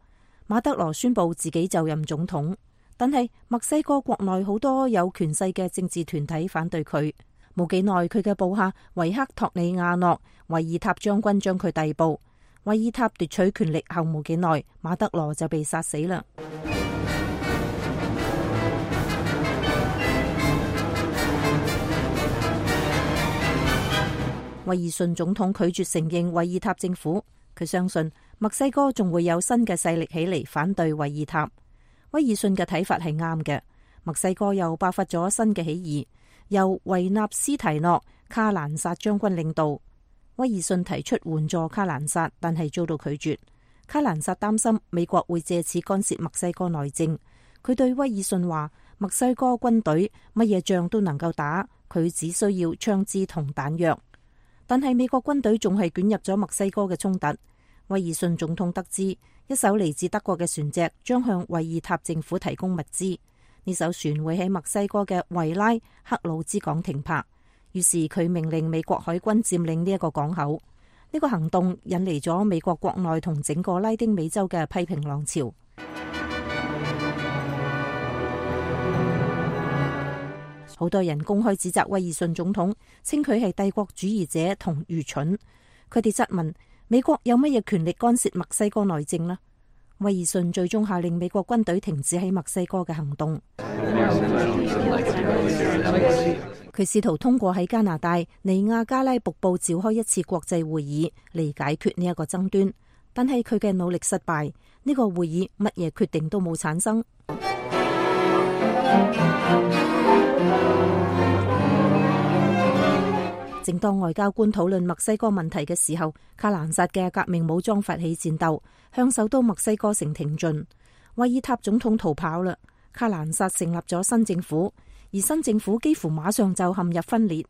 [SPEAKER 10] 馬德羅宣布自己就任總統，但係墨西哥國內好多有權勢嘅政治團體反對佢。冇幾耐，佢嘅部下維克托里亞諾·維爾塔將軍將佢逮捕。維爾塔奪取權力後冇幾耐，馬德羅就被殺死啦。威爾遜總統拒絕承認維爾塔政府，佢相信墨西哥仲會有新嘅勢力起嚟反對維爾塔。威爾遜嘅睇法係啱嘅，墨西哥又爆發咗新嘅起義，由維納斯提諾·卡蘭薩將軍領導。威爾遜提出援助卡蘭薩，但係遭到拒絕。卡蘭薩擔心美國會借此干涉墨西哥內政，佢對威爾遜話：墨西哥軍隊乜嘢仗都能夠打，佢只需要槍支同彈藥。但係美國軍隊仲係捲入咗墨西哥嘅衝突。威爾遜總統得知一艘嚟自德國嘅船隻將向維爾塔政府提供物資，呢艘船會喺墨西哥嘅維拉克魯茲港停泊，於是佢命令美國海軍佔領呢一個港口。呢個行動引嚟咗美國國內同整個拉丁美洲嘅批評浪潮。好多人公開指責威爾遜總統，稱佢係帝國主義者同愚蠢。佢哋質問美國有乜嘢權力干涉墨西哥內政呢？威爾遜最終下令美國軍隊停止喺墨西哥嘅行動。佢試圖通過喺加拿大尼亞加拉瀑布召開一次國際會議嚟解決呢一個爭端，但係佢嘅努力失敗。呢個會議乜嘢決定都冇產生。正當外交官討論墨西哥問題嘅時候，卡蘭薩嘅革命武裝發起戰鬥，向首都墨西哥城挺進。維爾塔總統逃跑啦，卡蘭薩成立咗新政府，而新政府幾乎馬上就陷入分裂。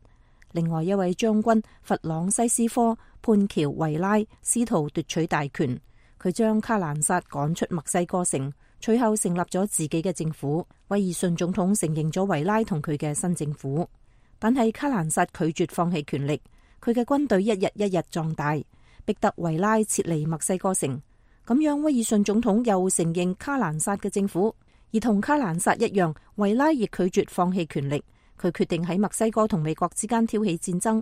[SPEAKER 10] 另外一位將軍弗朗西斯科潘喬維拉試圖奪取大權，佢將卡蘭薩趕出墨西哥城，隨後成立咗自己嘅政府。威爾遜總統承認咗維拉同佢嘅新政府。但係卡蘭薩拒絕放棄權力，佢嘅軍隊一日一日壯大，逼得維拉撤離墨西哥城。咁樣威爾遜總統又承認卡蘭薩嘅政府，而同卡蘭薩一樣，維拉亦拒絕放棄權力。佢決定喺墨西哥同美國之間挑起戰爭，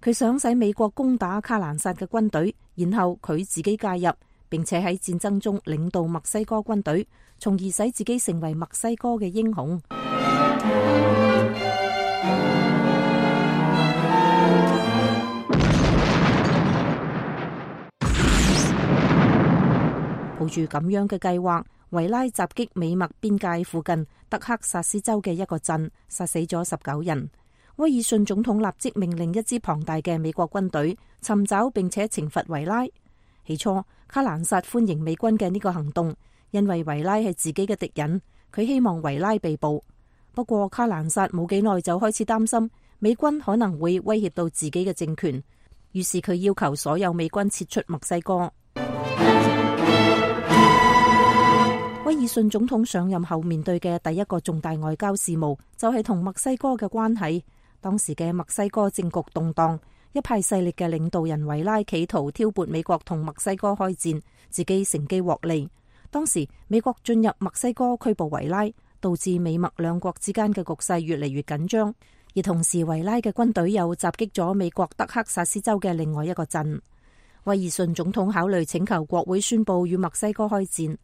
[SPEAKER 10] 佢想使美國攻打卡蘭薩嘅軍隊，然後佢自己介入，並且喺戰爭中領導墨西哥軍隊，從而使自己成為墨西哥嘅英雄。抱住咁樣嘅計劃，維拉襲擊美墨邊界附近德克薩斯州嘅一個鎮，殺死咗19人。威爾遜總統立即命令一支龐大嘅美國軍隊尋找並且懲罰維拉。起初，卡蘭薩歡迎美軍嘅呢個行動，因為維拉係自己嘅敵人，佢希望維拉被捕。不過卡蘭薩冇幾耐就開始擔心美軍可能會威脅到自己嘅政權，於是佢要求所有美軍撤出墨西哥。威爾遜總統上任後面對嘅第一個重大外交事務就係同墨西哥嘅關係。當時嘅墨西哥政局動盪，一派勢力嘅領導人維拉企圖挑撥美國同墨西哥開戰，自己乘機獲利。當時美國進入墨西哥拘捕維拉，導致美墨兩國之間嘅局勢越嚟越緊張。而同時維拉嘅軍隊又襲擊咗美國德克薩斯州嘅另外一個鎮。威爾遜總統考慮請求國會宣布與墨西哥開戰，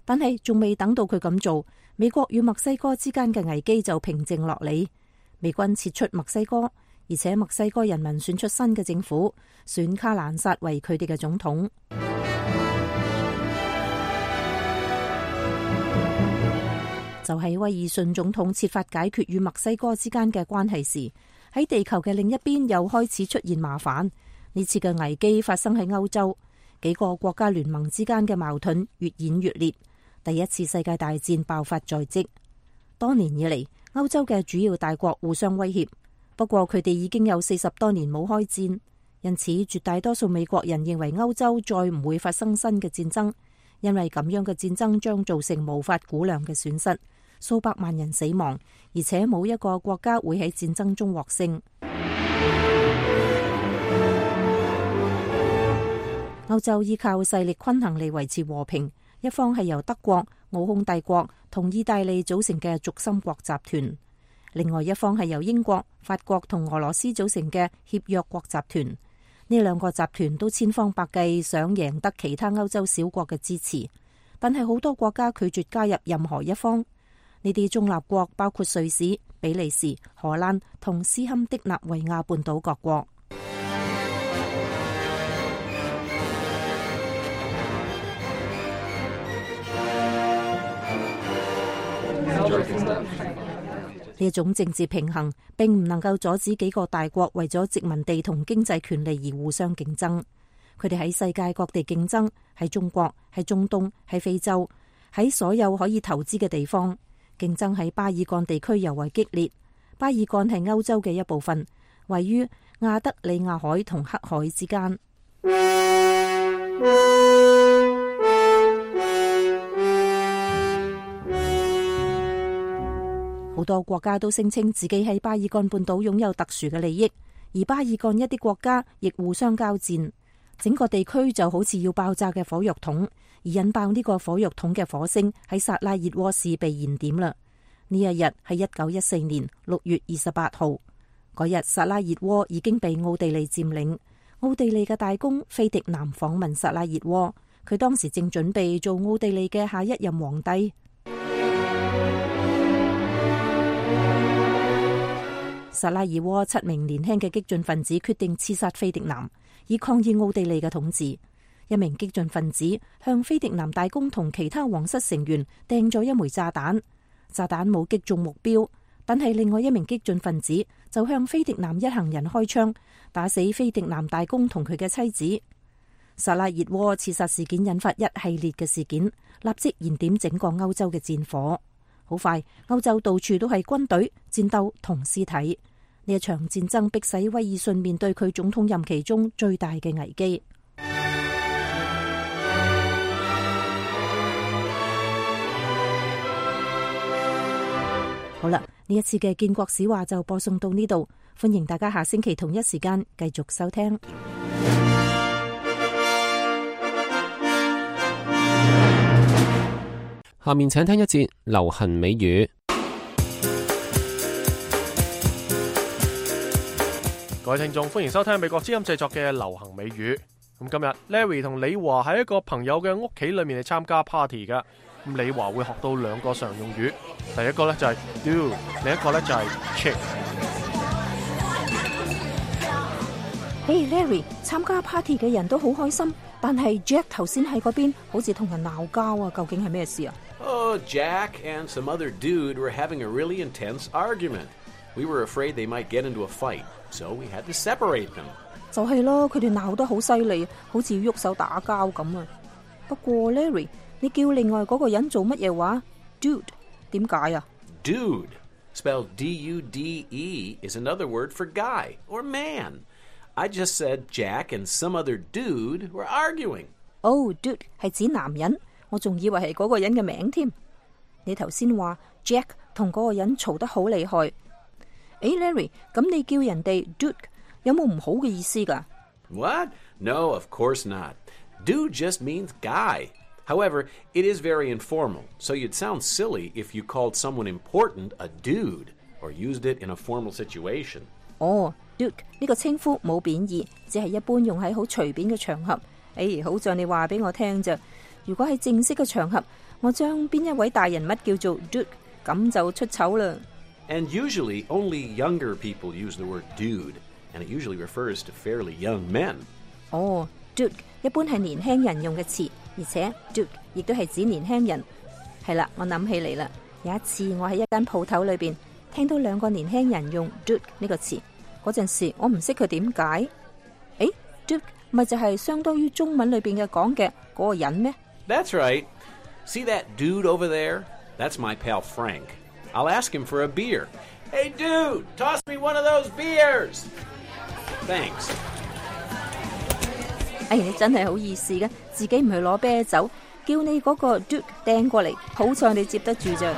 [SPEAKER 10] 但係仲未等到佢咁做，美國與墨西哥之間嘅危機就平靜落嚟。美軍撤出墨西哥，而且墨西哥人民選出新嘅政府，選卡蘭薩為佢哋嘅總統。就喺威爾遜總統設法解決與墨西哥之間嘅關係時，喺地球嘅另一邊又開始出現麻煩。呢次嘅危機發生喺歐洲，幾個國家聯盟之間嘅矛盾越演越烈，第一次世界大戰爆發在即。多年以嚟，歐洲嘅主要大國互相威脅，不過佢哋已經有40多年冇開戰，因此絕大多數美國人認為歐洲再唔會發生新嘅戰爭，因為咁樣嘅戰爭將造成無法估量嘅損失，數百萬人死亡，而且冇一個國家會喺戰爭中獲勝。歐洲依靠勢力均衡嚟維持和平，一方係由德國、奧匈帝國同意大利組成嘅軸心國集團，另外一方係由英國、法國同俄羅斯組成嘅協約國集團。呢兩個集團都千方百計想贏得其他歐洲小國嘅支持，但係好多國家拒絕加入任何一方。呢啲中立國包括瑞士、比利時、荷蘭同斯堪的納維亞半島各國。呢一種政治平衡並唔能夠阻止幾個大國為咗殖民地同經濟權利而互相競爭。佢哋喺世界各地競爭，喺中國、喺中東、喺非洲，喺所有可以投資嘅地方。競爭喺巴爾幹地區尤為激烈。巴爾幹係歐洲嘅一部分，位於亞得里亞海同黑海之間。好多國家都聲稱自己喺巴爾幹半島擁有特殊嘅利益，而巴爾幹一啲國家亦互相交戰，整個地區就好似要爆炸嘅火藥桶，而引爆呢個火藥桶嘅火星喺薩拉熱窩市被燃點啦。呢一日係1914年6月28號，嗰日薩拉熱窩已經被奧地利佔領。奧地利嘅大公菲迪南訪問薩拉熱窩，佢當時正準備做奧地利嘅下一任皇帝。薩拉熱窩7名年輕嘅激進分子決定刺殺菲迪南，以抗議奧地利嘅統治。一名激進分子向菲迪南大公同其他皇室成員掟咗一枚炸彈，炸彈冇擊中目標，但係另外一名激進分子就向菲迪南一行人開槍，打死菲迪南大公同佢嘅妻子。薩拉熱窩刺殺事件引發一系列嘅事件，立即燃點整個歐洲嘅戰火。好快，歐洲到處都係軍隊、戰鬥同屍體。呢一場戰爭迫使威爾遜面對佢總統任期中最大嘅危機。好啦，呢一次嘅建國史話就播送到呢度，歡迎大家下星期同一時間繼續收聽。
[SPEAKER 3] 下面請聽一節流行美語。
[SPEAKER 2] 各位聽眾，歡迎收聽美國之音製作嘅流行美語。咁今日 Larry 同李華喺一個朋友嘅屋企裏面嚟參加 party 噶。咁李華會學到2個常用語，第一個咧就係 do， 另一個咧就係 chick。Hey
[SPEAKER 10] Larry， 參加 party 嘅人都好開心，但係 Jack 頭先喺嗰邊好似同人鬧交啊，究竟係咩事啊
[SPEAKER 11] ？Oh, Jack and some other dude were having a really intense argument. We were afraid they might get into a fight, so we had to separate them.
[SPEAKER 10] 就係咯，佢哋鬧得好犀利，好似要喐手打交咁啊。不過 Larry， 你叫另外嗰個人做乜嘢話 ？Dude， 點解啊
[SPEAKER 11] Dude, spelled D-U-D-E, is another word for guy or man. I just said Jack and some other dude were arguing.
[SPEAKER 10] Oh, dude 係指男人，我仲以為係嗰個人嘅名添。你頭先話 Jack 同嗰個人嘈得好厲害。Larry， 咁你叫人哋 dude 有冇唔好嘅意思㗎？
[SPEAKER 11] What? No, of course not. Dude just means guy. However, it is very informal, so you'd sound silly if you called someone important a dude or used it in a formal situation.
[SPEAKER 10] Dude 呢個稱呼冇貶義，只係一般用喺好隨便嘅場合。好像你話俾我聽咋。如果喺正式嘅場合，我將邊一位大人物叫做 dude， 咁就出醜啦。
[SPEAKER 11] And usually only younger people use the word dude, and it usually refers to fairly young men.
[SPEAKER 10] Dude 一般係年輕人用嘅詞，而且 dude 亦都係指年輕人。係啦，我諗起嚟啦，有一次我喺一間鋪頭裏邊聽到兩個年輕人用 dude 呢個詞，嗰陣時我唔識佢點解。dude 咪就係相當於中文裏邊嘅講嘅嗰個人咩？
[SPEAKER 11] That's right. See that dude over there? That's my pal Frank. I'll ask him for a beer. Hey dude, toss me one of those beers. Thanks.
[SPEAKER 10] 你真係好意思嘅，自己唔去攞啤酒，叫你嗰個 dude 掟過嚟，好彩你接得住咋。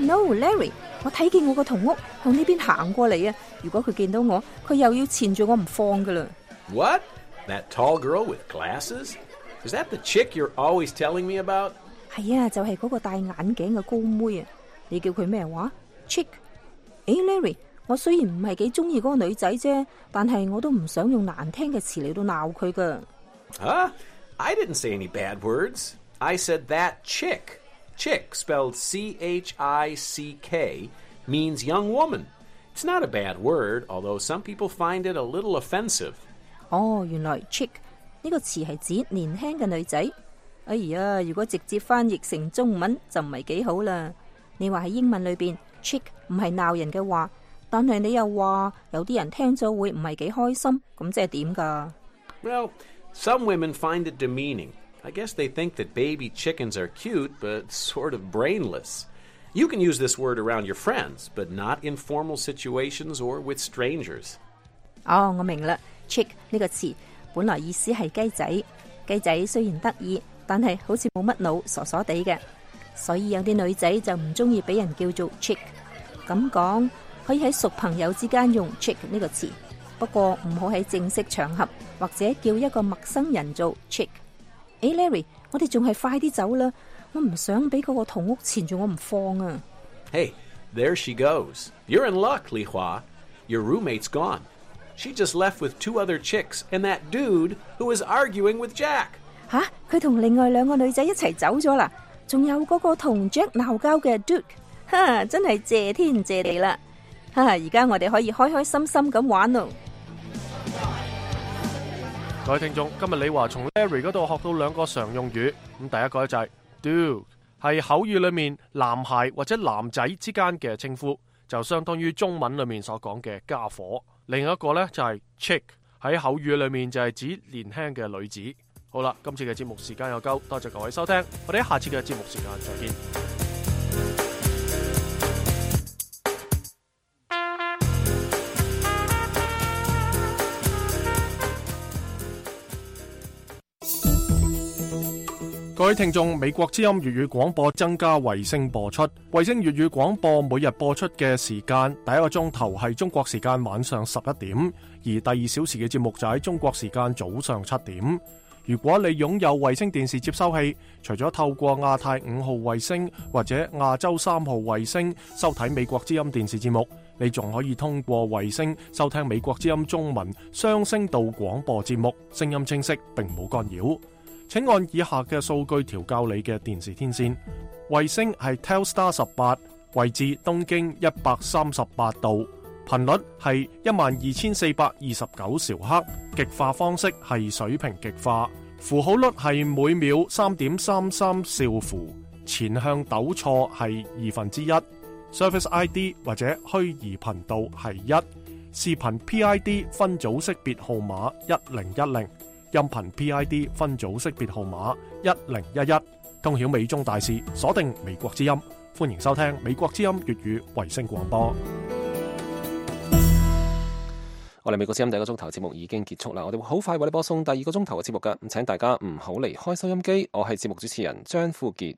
[SPEAKER 10] No, Larry， 我睇見我個同屋向呢邊行過嚟啊！如果佢見到我，佢又要纏住我唔放噶啦。
[SPEAKER 11] What? That tall girl with glasses? Is that the chick you're always telling me about?
[SPEAKER 10] 係啊，就係嗰個戴眼鏡嘅高妹啊！你叫佢咩話 ？Chick？Larry， 我雖然唔係幾中意嗰個女仔啫，但係我都唔想用難聽嘅詞嚟到鬧佢噶。
[SPEAKER 11] I didn't say any bad words. I said that chick. Chick, spelled C-H-I-C-K, means young woman. It's not a bad word, although some people find it a little offensive.
[SPEAKER 10] 原來 chick 呢個詞係指年輕嘅女仔。如果直接翻譯成中文就唔係幾好啦。你話喺英文裏邊 chick 唔係鬧人嘅話，但係你又話有啲人聽咗會唔係幾開心，咁即係點㗎？
[SPEAKER 11] Well, some women find it demeaning. I guess they think that baby chickens are cute, but sort of brainless. You can use this word around your friends, but not in formal situations or with strangers.
[SPEAKER 10] 我明啦 ，chick 呢個詞本來意思係雞仔。雞仔雖然得意，但係好似冇乜腦，傻傻地嘅，所以有啲女仔就唔中意俾人叫做 chick。咁講可以喺熟朋友之間用 chick 呢個詞，不過唔好喺正式場合或者叫一個陌生人做 chick。Larry， 我哋仲係快啲走啦，我唔想俾嗰個同屋纏住我唔放啊。
[SPEAKER 11] Hey, there she goes. You're in luck, Li Hua. Your roommate's gone. She just left with 2 other chicks and that dude who was arguing with Jack.
[SPEAKER 10] 佢同另外2個女仔一齊走咗啦，仲有嗰個同 Jack 鬧交嘅 dude。真係謝天謝地啦！而家我哋可以開開心心咁玩咯。
[SPEAKER 2] 各位聽眾，今日李華從 Larry 嗰度學到2個常用語。咁第一個咧就係 dude， 係口語裏面男孩或者男仔之間嘅稱呼，就相當於中文裏面所講嘅家伙。另一個咧就係 chick， 喺口語裏面就係指年輕嘅女子。好啦，今次嘅節目時間又夠，多謝各位收聽，我哋下次嘅節目時間再見。各位聽眾，美國之音粵語廣播增加衛星播出。衛星粵語廣播每日播出嘅時間，第一個鐘頭係中國時間晚上11點，而第2小時嘅節目就喺中國時間早上7點。如果你擁有衛星電視接收器，除咗透過亞太5號衛星或者亞洲3號衛星收睇美國之音電視節目，你仲可以通過衛星收聽美國之音中文雙聲道廣播節目，聲音清晰並冇干擾。請按以下嘅數據調校你嘅電視天線。衛星係 Telstar 18，位置東經138度，頻率係12429兆赫，極化方式係水平極化，符號率係每秒3.33兆符，前向糾錯係1/2。Service ID 或者虛擬頻道係1，視頻 PID 分組識別號碼1010，音頻 PID 分組識別號碼1011。通曉美中大事，鎖定美國之音，歡迎收聽美國之音粵語衛星廣播。
[SPEAKER 3] 我哋美國之音第一個鐘頭節目已經結束啦，我哋會好快為你播送第二個鐘頭嘅節目㗎，咁請大家唔好離開收音機。我係節目主持人張富傑。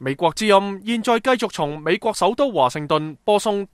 [SPEAKER 2] 美國之音現在繼續從美國首都華盛頓播送第